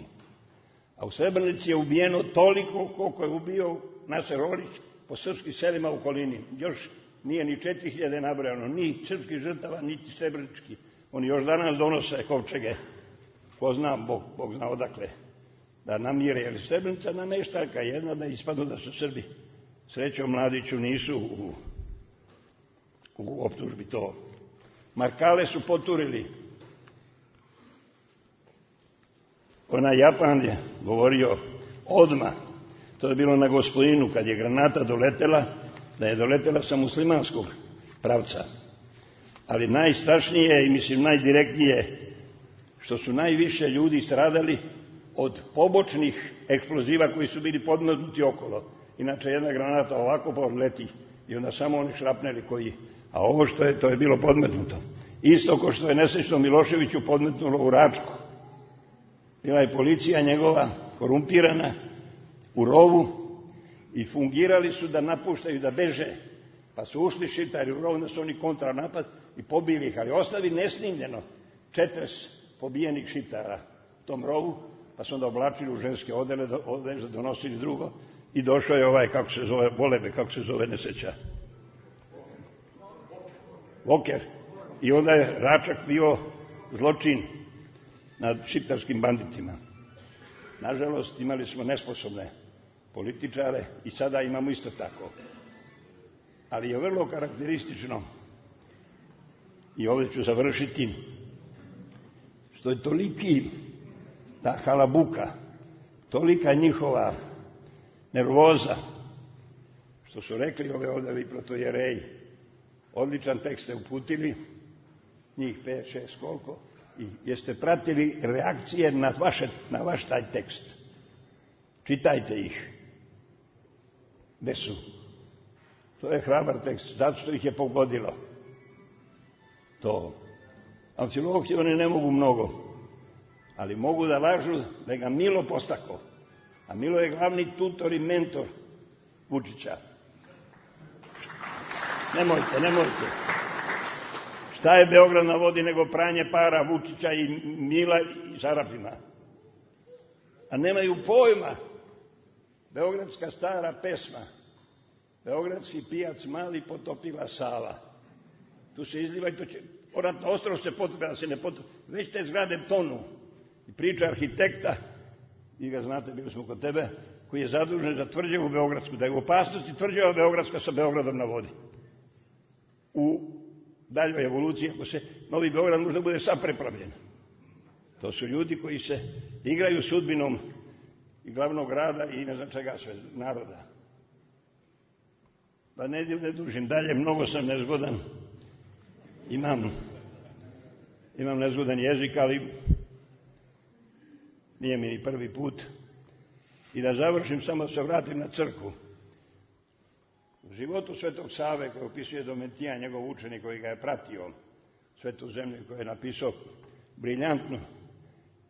A u Srebrenici je ubijeno toliko koliko je ubio Naser Orić po srpskim selima u okolini. Još nije ni 4000 nabrojano, ni srpskih žrtava, niti srebrenički. Oni još danas donose kovčege. Ko zna, Bog zna odakle, da namire. Jer Srebrenica nameštaljka jedna da ispadnu da su Srbi. Srećom Mladiću nisu u optužbi to. Markale su poturili. Onaj Japan je govorio odmah, to je bilo na Gospodinu, kad je granata doletela, da je doletela sa muslimanskog pravca. Ali najstrašnije i mislim najdirektnije, što su najviše ljudi stradali od pobočnih eksploziva koji su bili podmetnuti okolo. Inače jedna granata ovako podleti i onda samo oni šrapneli koji, a ovo što je, to je bilo podmetnuto. Isto ko što je nesrećno Miloševiću podmetnulo u Račku. Bila je policija njegova korumpirana u rovu i fungirali su da napuštaju, da beže. Pa su ušli Šiptari u rov, da su oni kontranapad i pobili ih, ali ostavi nesnimljeno 40 pobijenih Šiptara u tom rovu, pa su onda oblačili u ženske odele, donosili drugo i došao je ovaj, kako se zove, Volebe, kako se zove, nesreća. Voker. I onda je Račak bio zločin nad šiptarskim banditima. Nažalost, imali smo nesposobne političare i sada imamo isto tako. Ali je vrlo karakteristično, i ovdje ću završiti, što je toliki ta halabuka, tolika njihova nervoza, što su rekli ove ovdje protojereji, odličan tekst ste uputili, njih 5, 6, koliko, i jeste pratili reakcije na vaš taj tekst. Čitajte ih. Gde su? To je hrabar tekst, zato što ih je pogodilo. To. Amfilohije oni ne mogu mnogo, ali mogu da lažu da ga Milo postako. A Milo je glavni tutor i mentor Vučića. Nemojte. Šta je Beograd na vodi nego pranje para Vučića i Mila i Sarapima? A nemaju pojma. Beogradska stara pesma. Beogradski pijac mali potopila Sava. Tu se izliva i to će... Poratno ostrvo se potopi, da se ne potopi. Već te zgrade tonu. I priča arhitekta, vi ga znate, bili smo kod tebe, koji je zadužen za tvrđavu Beogradsku, da je u opasnosti tvrđava Beogradska sa Beogradom na vodi. U daljoj evoluciji, ako se Novi Beograd možda bude sad prepravljen. To su ljudi koji se igraju sudbinom i glavnog grada i ne znam čega sve, naroda. Pa ne dužim dalje, mnogo sam nezgodan. Imam nezgodan jezik, ali nije mi ni prvi put. I da završim, samo se vratim na crkvu. U životu Svetog Save, koji opisuje Domitijan, njegov učenik koji ga je pratio, Svetu zemlju, koji je napisao briljantnu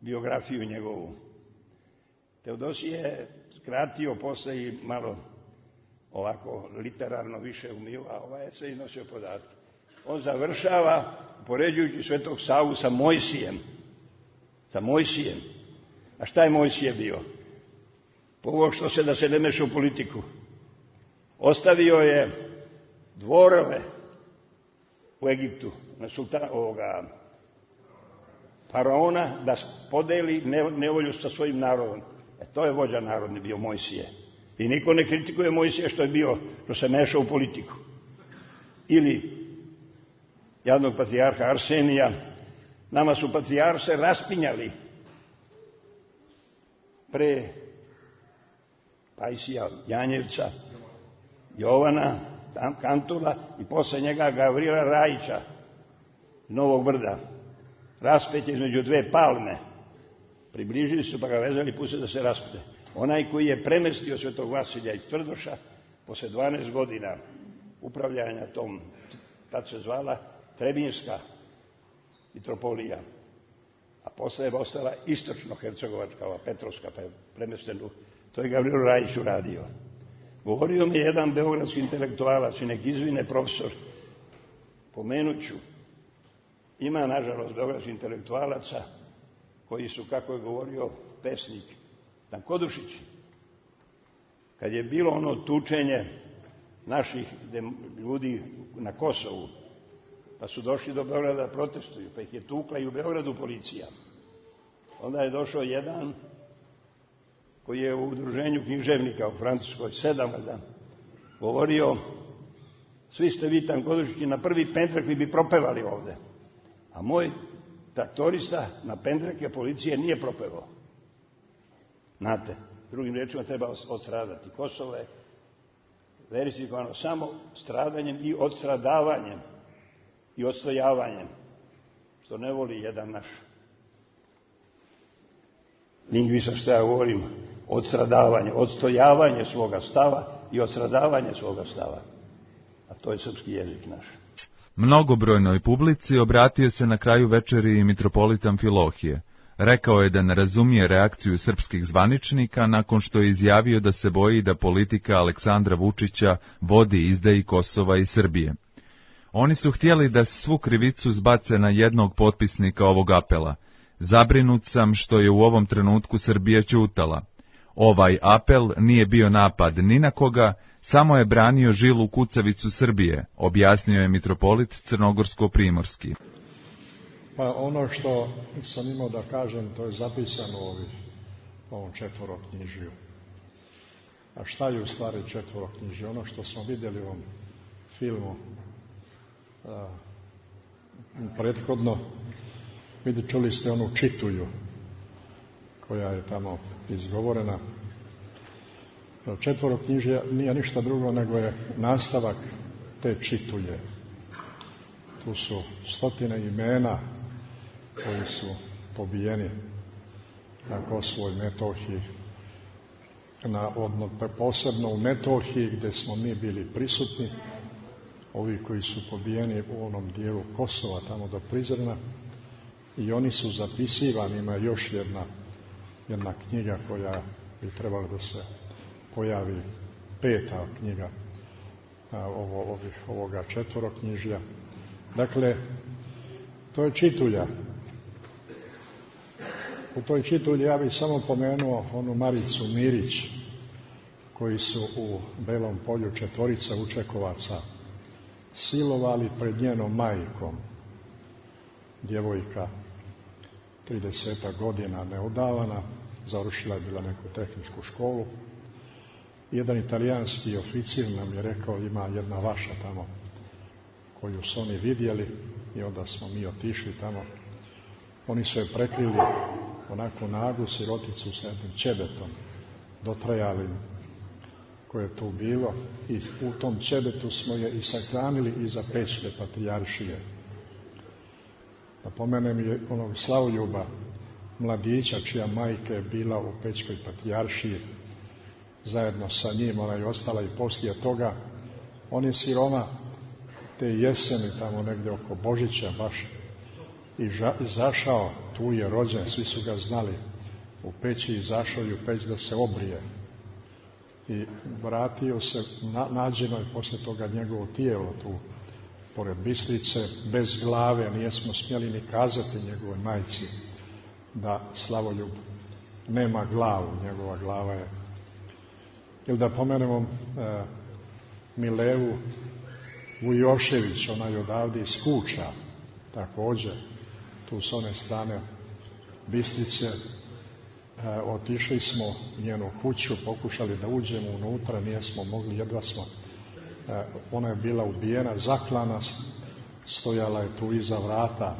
biografiju njegovu. Teodosije je skratio posle i malo ovako literarno više umio, a ovaj je sve iznosio podatke. On završava poređujući Svetog Savu sa Mojsijem. Sa Mojsijem. A šta je Mojsije bio? Povukao se da se ne meša u politiku. Ostavio je dvorove u Egiptu na faraona da podeli nevolju sa svojim narodom. To je vođa narodni bio Mojsije. I niko ne kritikuje Mojsije što se meša u politiku. Ili jadnog patrijarha Arsenija. Nama su patrijarse raspinjali pre Pajsija, Janjevca, Jovana, Kantula i posle njega Gavrila Rajića, Novog Brda. Raspet je između dve palme. Približili su pa ga vezali i pustili da se raspete. Onaj koji je premestio Svetog Vasilja iz Tvrdoša, posle 12 godina upravljanja tom, tad se zvala Trebinjska mitropolija, a posle je ostala istočno-hercegovačka, ova Petrovska, premestenu, to je Gavrilo Rajić uradio. Govorio mi je jedan beogradski intelektualac i nek izvine profesor, pomenuću, ima nažalost beogradskih intelektualaca koji su, kako je govorio pesnik Kodušić, kad je bilo ono tučenje naših ljudi na Kosovu, pa su došli do Beograda da protestuju, pa ih je tukla i u Beogradu policija. Onda je došao jedan koji je u udruženju književnika u Francuskoj, 7 govorio, svi ste vi Kodušići na prvi pendrek vi bi propevali ovde. A moj traktorista na pendreke policije nije propevao. Znate, drugim rečima treba odstradati. Kosovo je verifikovano samo stradanjem i odstradavanjem i odstojavanjem, što ne voli jedan naš lingvista, što ja govorim, odstradavanje, odstojavanje svoga stava i odstradavanje svoga stava. A to je srpski jezik naš. Mnogobrojnoj publici obratio se na kraju večeri i mitropolit Amfilohije. Rekao je da ne razumije reakciju srpskih zvaničnika nakon što je izjavio da se boji da politika Aleksandra Vučića vodi izdaji Kosova i Srbije. Oni su htjeli da svu krivicu zbace na jednog potpisnika ovog apela. Zabrinut sam što je u ovom trenutku Srbija ćutala. Ovaj apel nije bio napad ni na koga, samo je branio žilu kucavicu Srbije, objasnio je mitropolit Crnogorsko-primorski. Pa ono što sam imao da kažem, to je zapisano u ovom četvoroknjižju. A šta je u stvari četvoroknjižje? Ono što smo vidjeli u ovom filmu prethodno, čuli ste onu čituju koja je tamo izgovorena. Četvoroknjižje nije ništa drugo nego je nastavak te čituje. Tu su stotine imena koji su pobijeni na Kosovu i Metohiji, posebno u Metohiji gdje smo mi bili prisutni, ovi koji su pobijeni u onom dijelu Kosova, tamo do Prizrena, i oni su zapisivani. Ima još jedna knjiga koja bi trebala da se pojavi, 5. knjiga ovoga četvoroknjižja. Dakle, to je čitulja. U toj čitulji ja bih samo pomenuo onu Maricu Mirić, koji su u Belom Polju 4 Učekovaca silovali pred njenom majkom. Djevojka 30 godina neudavana, završila je bila neku tehničku školu. Jedan italijanski oficir nam je rekao, ima jedna vaša tamo koju su oni vidjeli, i onda smo mi otišli tamo. Oni su je prekrili onako nagu siroticu s jednim ćebetom dotrajalim koje je tu bilo, i u tom ćebetu smo je i sahranili iza Pećke patrijaršije. Da pomenem je onog Slavoljuba, mladića čija majka je bila u Pećkoj patrijaršiji, zajedno sa njim, ona je ostala i poslije toga. On je siroma te jeseni, tamo negdje oko Božića baš, izašao, tu je rođen, svi su ga znali, u peći, izašao je u peć da se obrije. I vratio se, nađeno je poslije toga njegovo tijelo tu, pored Bistrice, bez glave, nijesmo smjeli ni kazati njegovoj majci da Slavoljub nema glavu, njegova glava je. Ili da pomenemo Milevu Vujošević, ona je odavde iz Kuča, također, tu s one strane Bistrice. Otišli smo u njenu kuću, pokušali da uđemo unutra, nijesmo mogli, jedva smo. Ona je bila ubijena, zaklana, stojala je tu iza vrata.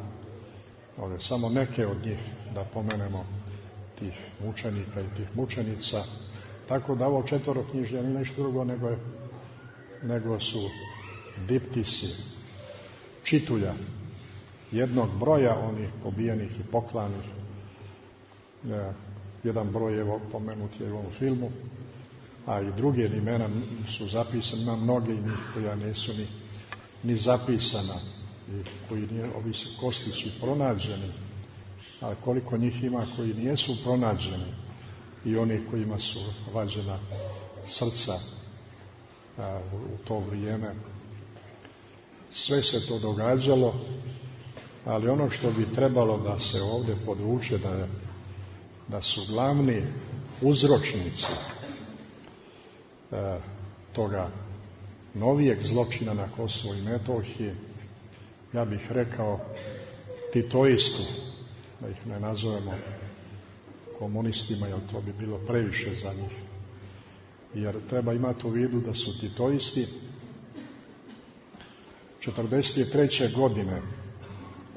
Ovdje samo neke od njih, da pomenemo, tih mučenika i tih mučenica. Tako da ovo četvoroknjižje nije nešto drugo nego su diptisi, čitulja jednog broja onih pobijenih i poklanih. Jedan broj je pomenut je u ovom filmu, a i druge imena su zapisane, ima mnoge njih koja nisu ni zapisana, i koji ovi su kostići pronađeni, a koliko njih ima koji nijesu pronađeni, i oni kojima su vađena srca u to vrijeme. Sve se to događalo, ali ono što bi trebalo da se ovdje podvuče, da su glavni uzročnici toga novijeg zločina na Kosovu i Metohiji, ja bih rekao titoisti, da ih ne nazovemo komunistima, jer to bi bilo previše za njih. Jer treba imati u vidu da su titoisti 1943. godine,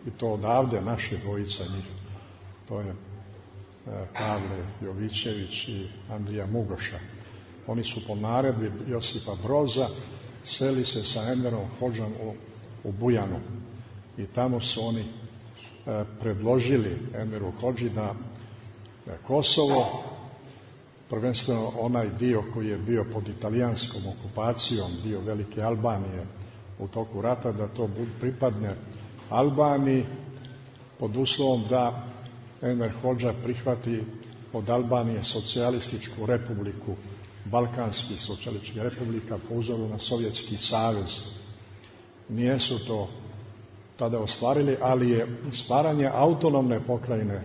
i to odavde naše dvojica njih, to je Pavle Jovićević i Andrija Mugoša. Oni su po naredbi Josipa Broza seli se sa Enverom Hodžom u Bujanu, i tamo su oni predložili Enveru Hodži da Kosovo, prvenstveno onaj dio koji je bio pod italijanskom okupacijom, dio Velike Albanije u toku rata, da to pripadne Albaniji pod uslovom da Enver Hodža prihvati od Albanije socijalističku republiku, balkanskih socijalističkih republika po uzoru na Sovjetski savez. Nijesu to tada ostvarili, ali je stvaranje autonomne pokrajine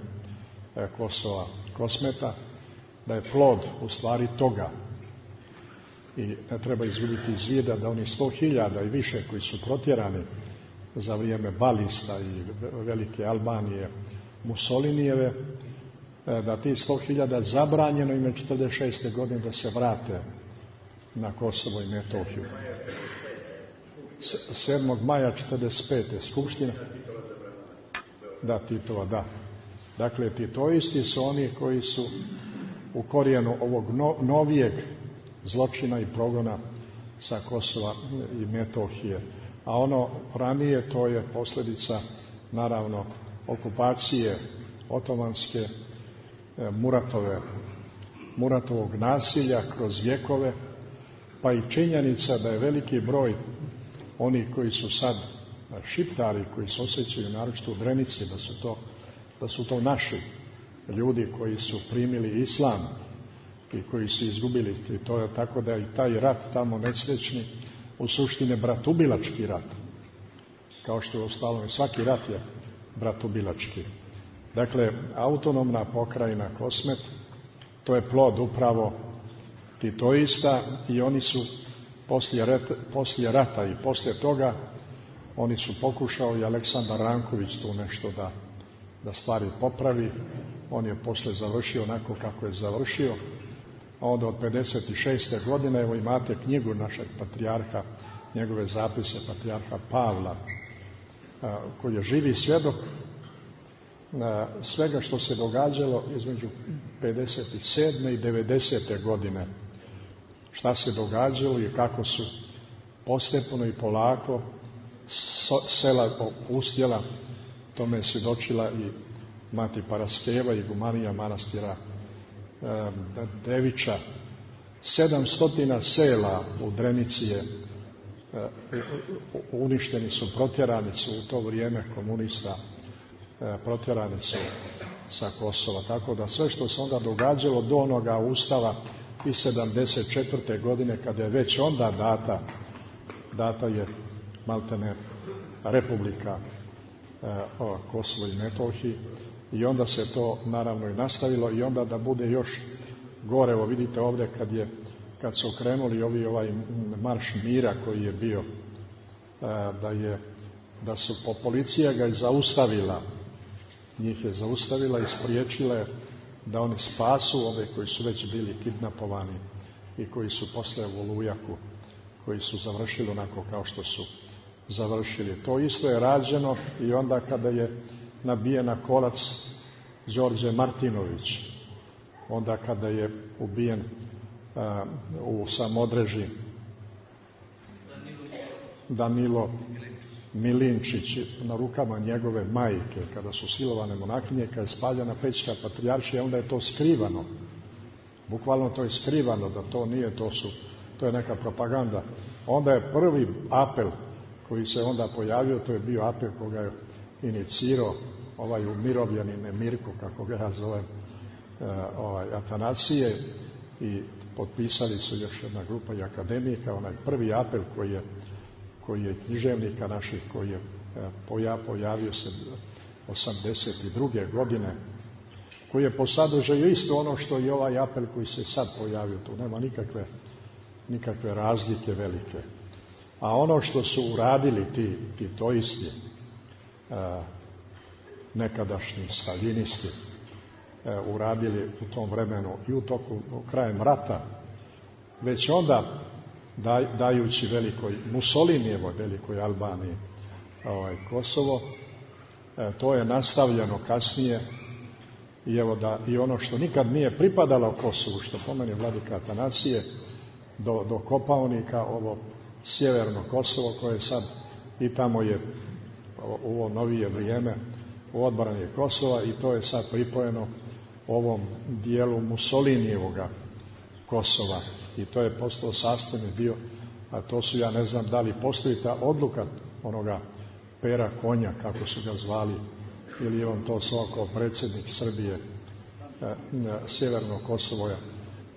Kosova, Kosmeta, da je plod u stvari toga. I ne treba izgubiti iz vida da oni 100.000 i više koji su protjerani za vrijeme Balista i Velike Albanije, Mussolinijeve, da ti 100.000 zabranjeno im je 1946. godine da se vrate na Kosovo i Metohiju. 7. maja 1945. Skupština. Da, Titova, da. Dakle, titoisti su oni koji su u korijenu ovog novijeg zločina i progona sa Kosova i Metohije. A ono ranije to je posljedica, naravno, okupacije otomanske, Muratovog nasilja kroz vjekove, pa i činjenica da je veliki broj oni koji su sad šiptari, koji se osjećaju naročito u Drenici, da su to naši ljudi koji su primili islam i koji su izgubili. I to je tako da i taj rat tamo nesrećni u suštini bratubilački rat. Kao što je ostalo, svaki rat je bratubilački. Dakle, autonomna pokrajina Kosmet, to je plod upravo titoista i oni su poslije rata i poslije toga oni su pokušao i Aleksandar Ranković tu nešto da stvari popravi. On je poslije završio onako kako je završio. A onda od 56. godine, evo imate knjigu našeg patrijarha, njegove zapise patrijarha Pavla, koji je živi svjedok svega što se događalo između 57. i 90. godine. Šta se događalo i kako su postepeno i polako sela opustjela. Tome je svjedočila i mati Paraskeva i gumanija manastira Devića. 700 sela u Drenici je uništeni su, protjerani su u to vrijeme komunista, protjerani su sa Kosova. Tako da sve što se onda događalo do onoga ustava i 74. godine, kada je već onda data je maltene republika Kosovo i Metohiji, i onda se to naravno i nastavilo, i onda da bude još gore, evo vidite ovdje kad su okrenuli ovaj marš mira koji je bio, da su policija ga i zaustavila, njih je zaustavila i spriječila da oni spasu ove koji su već bili kidnapovani i koji su poslije u Olujaku, koji su završili onako kao što su završili. To isto je rađeno i onda kada je nabijen na kolac Đorđe Martinović, onda kada je ubijen u Samodreži Danilo Milinčić na rukama njegove majke, kada su silovane monahinje, kada je spaljena Pećka patrijaršija, onda je to skrivano. Bukvalno to je skrivano, da to nije, to je neka propaganda. Onda je prvi apel koji se onda pojavio, to je bio apel koga je inicirao ovaj umirovljeni Mirko, kako ga ja zovem, Atanasije, i potpisali su još jedna grupa i akademika, onaj prvi apel koji je književnika naših, koji je pojavio se 82. godine, koji je po sadržaju isto ono što i ovaj apel koji se sad pojavio, tu nema nikakve razlike velike. A ono što su uradili ti titoisti, nekadašnji staljinisti, uradili u tom vremenu i u toku krajem rata, već onda dajući Mussolinijevoj velikoj Albaniji Kosovo, to je nastavljeno kasnije, i evo i ono što nikad nije pripadalo Kosovu, što pomeni vladika Atanasije, do Kopaonika, ovo sjeverno Kosovo koje sad i tamo je u ovo novije vrijeme u odbrani Kosova, i to je sad pripojeno ovom dijelu Mussolinijevoga Kosova, i to je postao sastavni dio, a to su, ja ne znam da li postoji ta odluka onoga Pera Konja, kako su ga zvali ili je on to svako predsjednik Srbije Sjeverno Kosovo je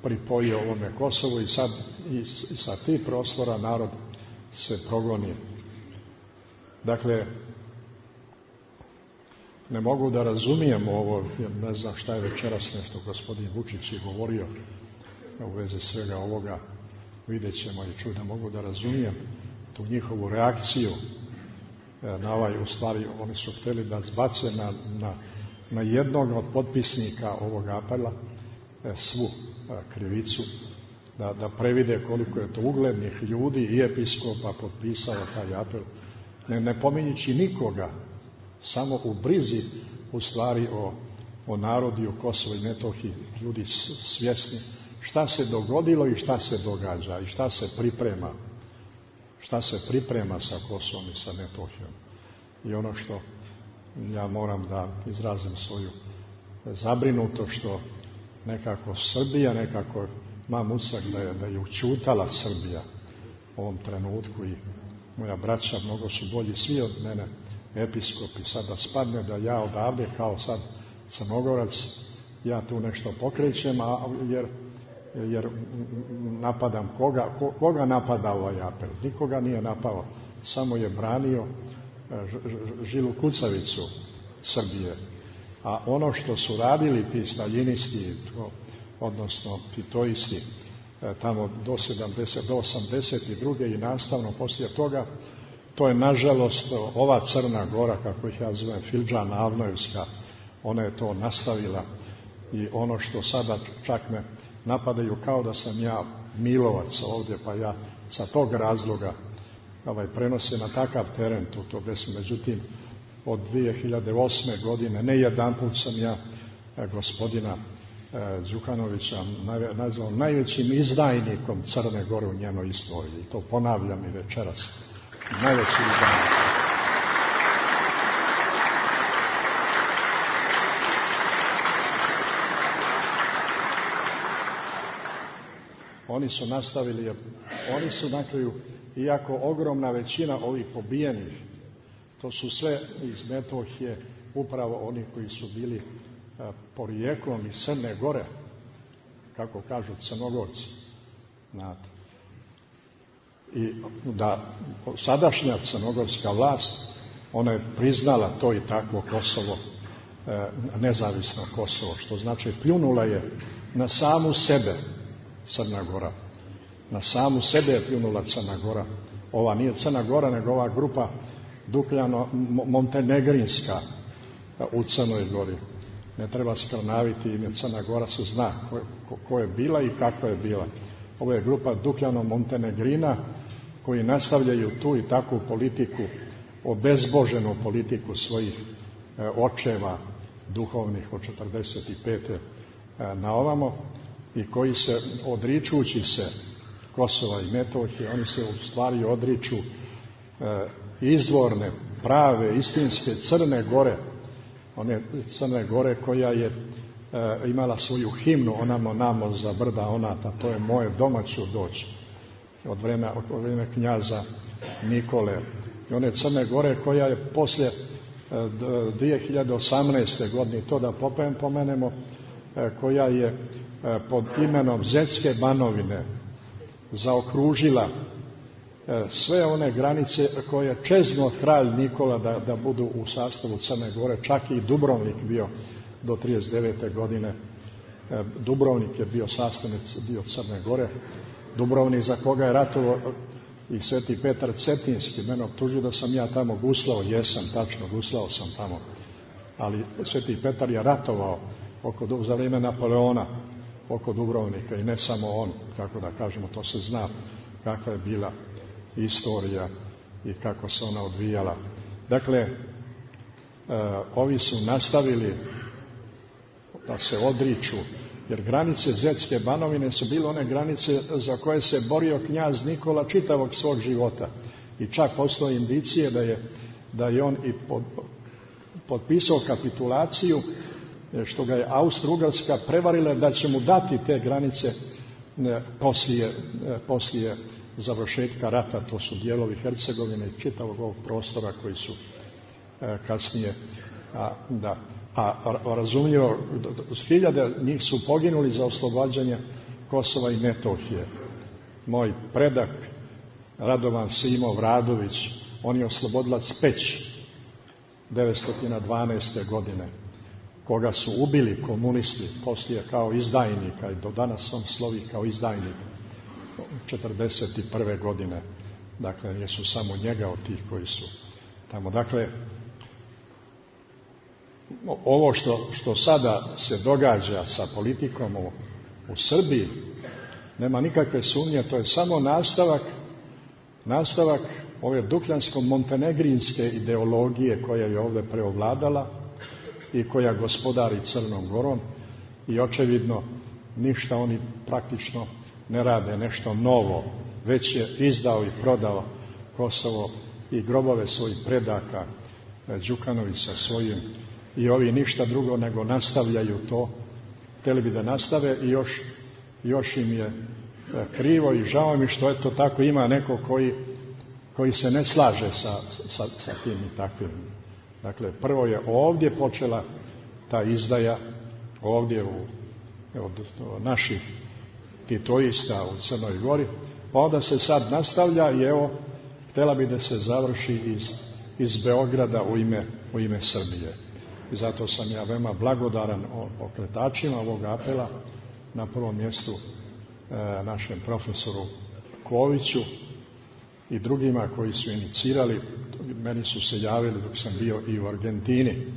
pripojio ovome Kosovu i sad i sa tih prostora narod se progoni. Dakle, ne mogu da razumijem ovo, jer ne znam šta je večeras nešto gospodin Vučić je govorio u vezi svega ovoga, vidjet ćemo i čuti, da mogu da razumijem tu njihovu reakciju na ovaj, u stvari oni su htjeli da zbace na jednog od potpisnika ovog apela svu krivicu, da previde koliko je to uglednih ljudi i episkopa potpisao taj apel, ne pominjući nikoga, samo u brizi u stvari o narodi u Kosovo i Metohiji, ljudi svjesni šta se dogodilo i šta se događa i šta se priprema sa Kosovom i sa Metohijom. I ono što ja moram da izrazim svoju zabrinutost, što nekako Srbija, nekako imam utisak da je učutala Srbija u ovom trenutku i moja braća mnogo su bolji svi od mene, episkopi, sad da spadne da ja odavde kao sad Crnogorac, ja tu nešto pokrećem, jer napadam koga napada ovaj apel? Nikoga nije napao, samo je branio žilu kucavicu Srbije. A ono što su radili ti staljinisti, odnosno titoisti, tamo do 82. i nastavno poslije toga, to je nažalost ova Crna Gora, kako ih ja zovem, Fildžana Avnojevska, ona je to nastavila i ono što sada čak me napadaju kao da sam ja Milovac ovdje, pa ja sa tog razloga prenose na takav teren to desno. Međutim, od 2008. godine, ne jedanput sam ja gospodina Đukanovića nazvao najvećim izdajnikom Crne Gore u njenoj istoriji. I to ponavljam i večeras. Najveći izdajnik. Oni su nastavili, oni su na kraju, iako ogromna većina ovih pobijenih, to su sve iz Metohije, upravo oni koji su bili porijeklom iz Crne Gore, kako kažu Crnogorci. Znate. I da sadašnja crnogorska vlast, ona je priznala to i takvo Kosovo, nezavisno Kosovo, što znači pljunula je na samu sebe Crna Gora. Na samu sebe je pljunula Crna Gora. Ova nije Crna Gora, nego ova grupa Dukljano-Montenegrinska u Crnoj Gori. Ne treba skrnaviti ime, Crna Gora se zna ko je bila i kako je bila. Ovo je grupa Dukljano-Montenegrina koji nastavljaju tu i takvu politiku, obezboženu politiku svojih očeva duhovnih od 45. na ovamo i koji se, odričući se Kosova i Metohije, oni se u stvari odriču izvorne, prave, istinske Crne Gore, one Crne Gore koja je imala svoju himnu, onamo namo za brda onata, to je moje doma ću doći, od vremena knjaza Nikole. I one Crne Gore koja je poslije 2018. godine, to da pomenemo, koja je pod imenom Zetske Banovine zaokružila sve one granice koje čeznuo kralj Nikola da budu u sastavu Crne Gore, čak i Dubrovnik bio do 39. godine. Dubrovnik je bio sastavni dio Crne Gore. Dubrovnik za koga je ratovao i Sveti Petar Cetinski. Mene optužio da sam ja tamo guslao, jesam, tačno, guslao sam tamo. Ali Sveti Petar je ratovao za vrijeme Napoleona oko Dubrovnika i ne samo on, kako da kažemo, to se zna kakva je bila istorija i kako se ona odvijala. Dakle, ovi su nastavili da se odriču, jer granice Zetske Banovine su bile one granice za koje se borio knjaz Nikola čitavog svog života. I čak postoje indicije da je on i potpisao kapitulaciju, što ga je Austro-Ugarska prevarila da će mu dati te granice poslije završetka rata. To su dijelovi Hercegovine i čitavog ovog prostora koji su kasnije razumljivo, hiljade njih su poginuli za oslobađanje Kosova i Metohije. Moj predak Radovan Simo Vradović, on je oslobodilac Peći 1912. godine, koga su ubili komunisti poslije kao izdajnika i do danas on slovi kao izdajnik 1941. godine. Dakle, nisu samo njega od tih koji su tamo. Dakle, ovo što sada se događa sa politikom u Srbiji, nema nikakve sumnje, to je samo nastavak ove dukljansko-montenegrinske ideologije koja je ovdje preovladala i koja gospodari Crnom Gorom i očevidno ništa oni praktično ne rade nešto novo, već je izdao i prodao Kosovo i grobove svojih predaka, Đukanović sa svojim, i ovi ništa drugo nego nastavljaju to, htjeli bi da nastave i još im je krivo i žao mi što eto tako ima neko koji se ne slaže sa tim i takvim. Dakle, prvo je ovdje počela ta izdaja, ovdje od naših titoista u Crnoj Gori, pa onda se sad nastavlja i evo, htjela bi da se završi iz Beograda u ime Srbije. I zato sam ja veoma blagodaran pokretačima ovog apela, na prvom mjestu našem profesoru Koviću i drugima koji su inicirali. Meni su se javili dok sam bio i u Argentini.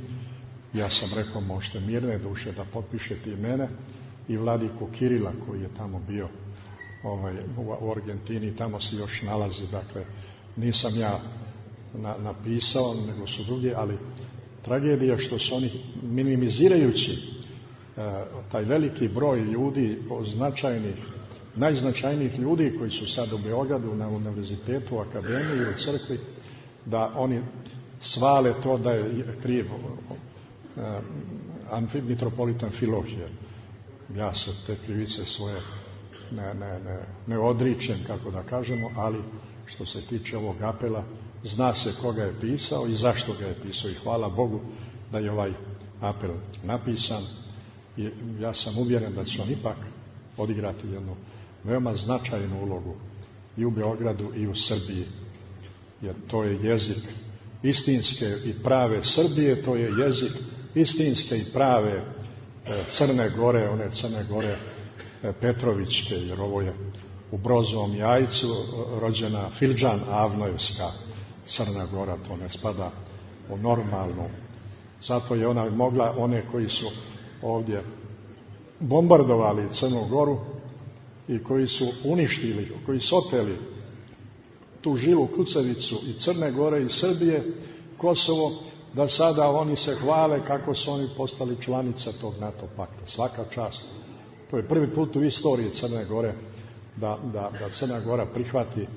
Ja sam rekao, možete mirne duše da potpišete i mene i Vladiku Kirila koji je tamo bio u Argentini, tamo se još nalazi. Dakle, nisam ja napisao, nego su drugi, ali tragedija što su oni minimizirajući taj veliki broj ljudi, najznačajnijih ljudi koji su sad u Beogradu na univerzitetu, u akademiji, u crkvi, da oni svale to da je kriv mitropolitan Filohije. Ja se te krivice svoje ne odričem, kako da kažemo, ali što se tiče ovog apela, zna se koga je pisao i zašto ga je pisao i hvala Bogu da je ovaj apel napisan i ja sam uvjeren da će on ipak odigrati jednu veoma značajnu ulogu i u Beogradu i u Srbiji, jer to je jezik istinske i prave Srbije, to je jezik istinske i prave Crne Gore, one Crne Gore Petrovićke, jer ovo je u Brozovom Jajcu rođena Filđan Avnojevska Crna Gora, to ne spada u normalnu. Zato je ona mogla, one koji su ovdje bombardovali Crnu Goru i koji su uništili, koji su oteli tu žilu kucavicu i Crne Gore i Srbije, Kosovo, da sada oni se hvale kako su oni postali članica tog NATO pakta. Svaka čast. To je prvi put u istoriji Crne Gore da Crna Gora prihvati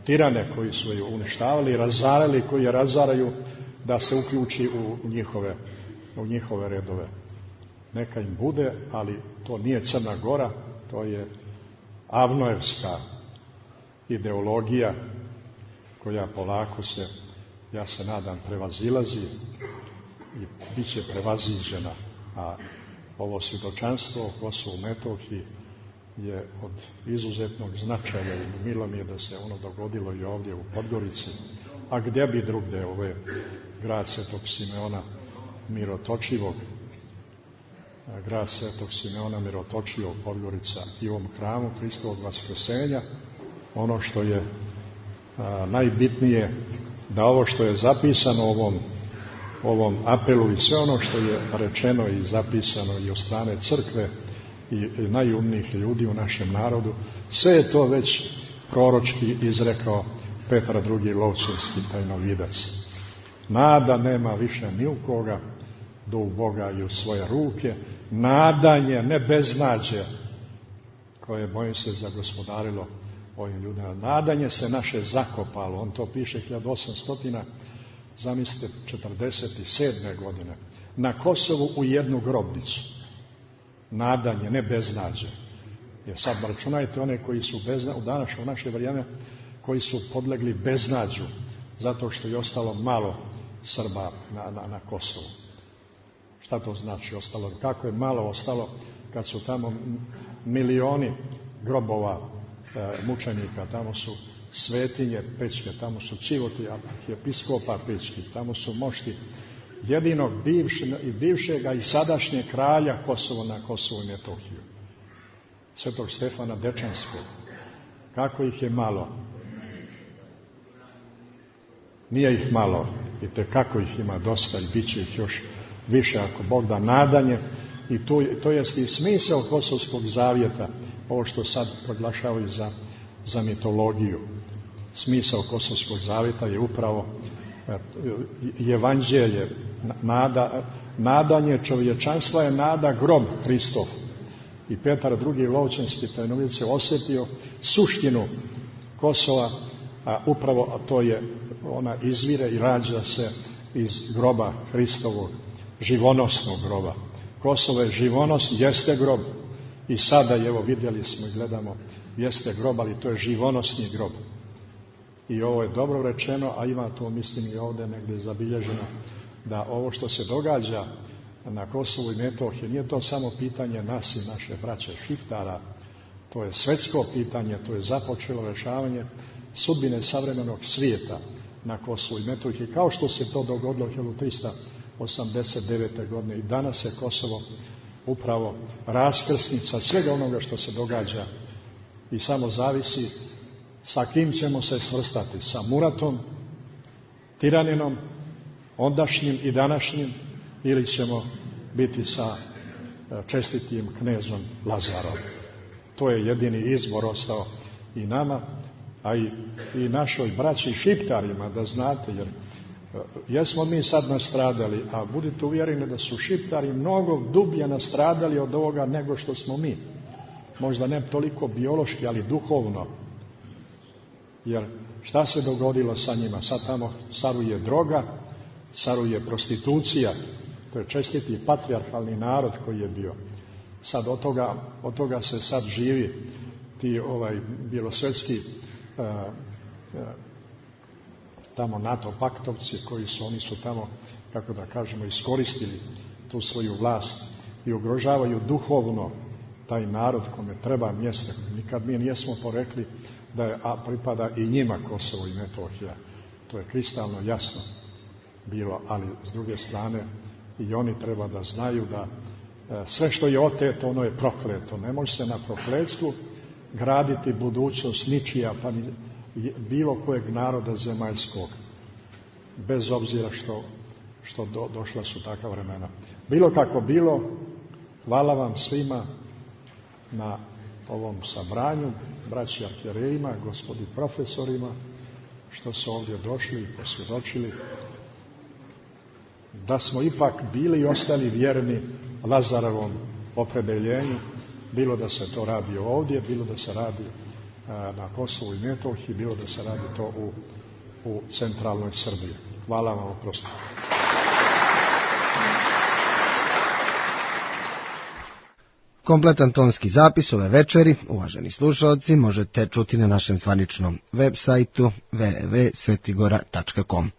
tirane koji su ju uništavali i razarali, koji je razaraju, da se uključi u njihove redove. Neka im bude, ali to nije Crna Gora, to je Avnojevska ideologija koja polako se, ja se nadam, prevazilazi i bit će prevaziđena. A ovo svjedočanstvo o Kosovu Metohiji je od izuzetnog značaja i milo mi je da se ono dogodilo i ovdje u Podgorici. A gdje bi drugdje, ovo je grad Svetog Simeona Mirotočivog, grad Svetog Simeona Mirotočivog, Podgorica, i u ovom hramu Hristovog Vaskrsenja. Ono što je najbitnije, da ovo što je zapisano u ovom apelu i sve ono što je rečeno i zapisano i od strane crkve i najumnijih ljudi u našem narodu, sve je to već proročki izrekao Petar II. Lovćenski tajnovidac. Nada nema više ni u koga, do u Boga i u svoje ruke. Nadanje, ne beznađe, koje, bojim se, zagospodarilo ovim ljudima. Nadanje se naše zakopalo. On to piše 1800, zamislite, 47. godine. Na Kosovu u jednu grobnicu. Nadanje, ne beznađe. Jer sad računajte one koji su u naše vrijeme, koji su podlegli beznađu, zato što je ostalo malo Srba na Kosovu. Šta to znači ostalo? Kako je malo ostalo kad su tamo milioni grobova mučenika, tamo su svetinje pećke, tamo su ćivoti arhijepiskopa pećki, tamo su mošti jedinog bivšega i sadašnjeg kralja Kosovo na Kosovu i Metohiju, Svetog Stefana Dečanskog. Kako ih je malo? Nije ih malo, i tekako ih ima dosta i bit će ih još više ako Bog da. Nadanje, i to je i smisao Kosovskog zavjeta, ovo što sad proglašavaju za mitologiju. Smisao Kosovskog zavjeta je upravo evanđelje, nadanje čovječanstva je nada grob Hristov. I Petar II. Lovćanski tajnovice osjetio suštinu Kosova, a upravo to je, ona izvire i rađa se iz groba Hristovog, živonosnog groba. Kosovo je živonos, jeste grob. I sada, evo vidjeli smo i gledamo, jeste grob, ali to je živonosni grob. I ovo je dobro rečeno, a ima to, mislim, i ovdje negdje zabilježeno, da ovo što se događa na Kosovu i Metohiji nije to samo pitanje nas i naše braće Šiftara, to je svjetsko pitanje, to je započelo rješavanje sudbine savremenog svijeta na Kosovu i Metohiji, kao što se to dogodilo 1389. godine. I danas je Kosovo upravo raskrsnica svega onoga što se događa i samo zavisi sa kim ćemo se svrstati, sa Muratom, tiraninom, ondašnjim i današnjim, ili ćemo biti sa čestitim knezom Lazarom. To je jedini izbor ostao i nama, a i našoj braći Šiptarima, da znate, jer jesmo mi sad nastradali, a budite uvjereni da su Šiptari mnogo dublje nastradali od ovoga nego što smo mi. Možda ne toliko biološki, ali duhovno. Jer šta se dogodilo sa njima? Sad tamo caruje droga, caruje prostitucija, to je čestiti patrijarhalni narod koji je bio. Sad od toga se sad živi, ti bjelosvetski tamo NATO paktovci oni su tamo, kako da kažemo, iskoristili tu svoju vlast i ugrožavaju duhovno taj narod kome treba mjesto. Nikad mi nijesmo porekli da pripada i njima Kosovo i Metohija. To je kristalno jasno bilo, ali s druge strane i oni treba da znaju da sve što je oteto, ono je prokleto. Ne može se na prokletstvu graditi budućnost ničija, pa ni bilo kojeg naroda zemaljskog, bez obzira što došla su takva vremena. Bilo kako bilo, hvala vam svima na ovom sabranju, braći arhijerejima, gospodi profesorima, što su ovdje došli i posvjedočili da smo ipak bili i ostali vjerni Lazarovom opredeljenju, bilo da se to radi ovdje, bilo da se radi na Kosovu i Metohiji, bilo da se radi to u centralnoj Srbiji. Hvala vam, oprostite. Kompletan tonski zapis ove večeri, uvaženi slušalci, možete čuti na našem zvaničnom web sajtu www.svetigora.com.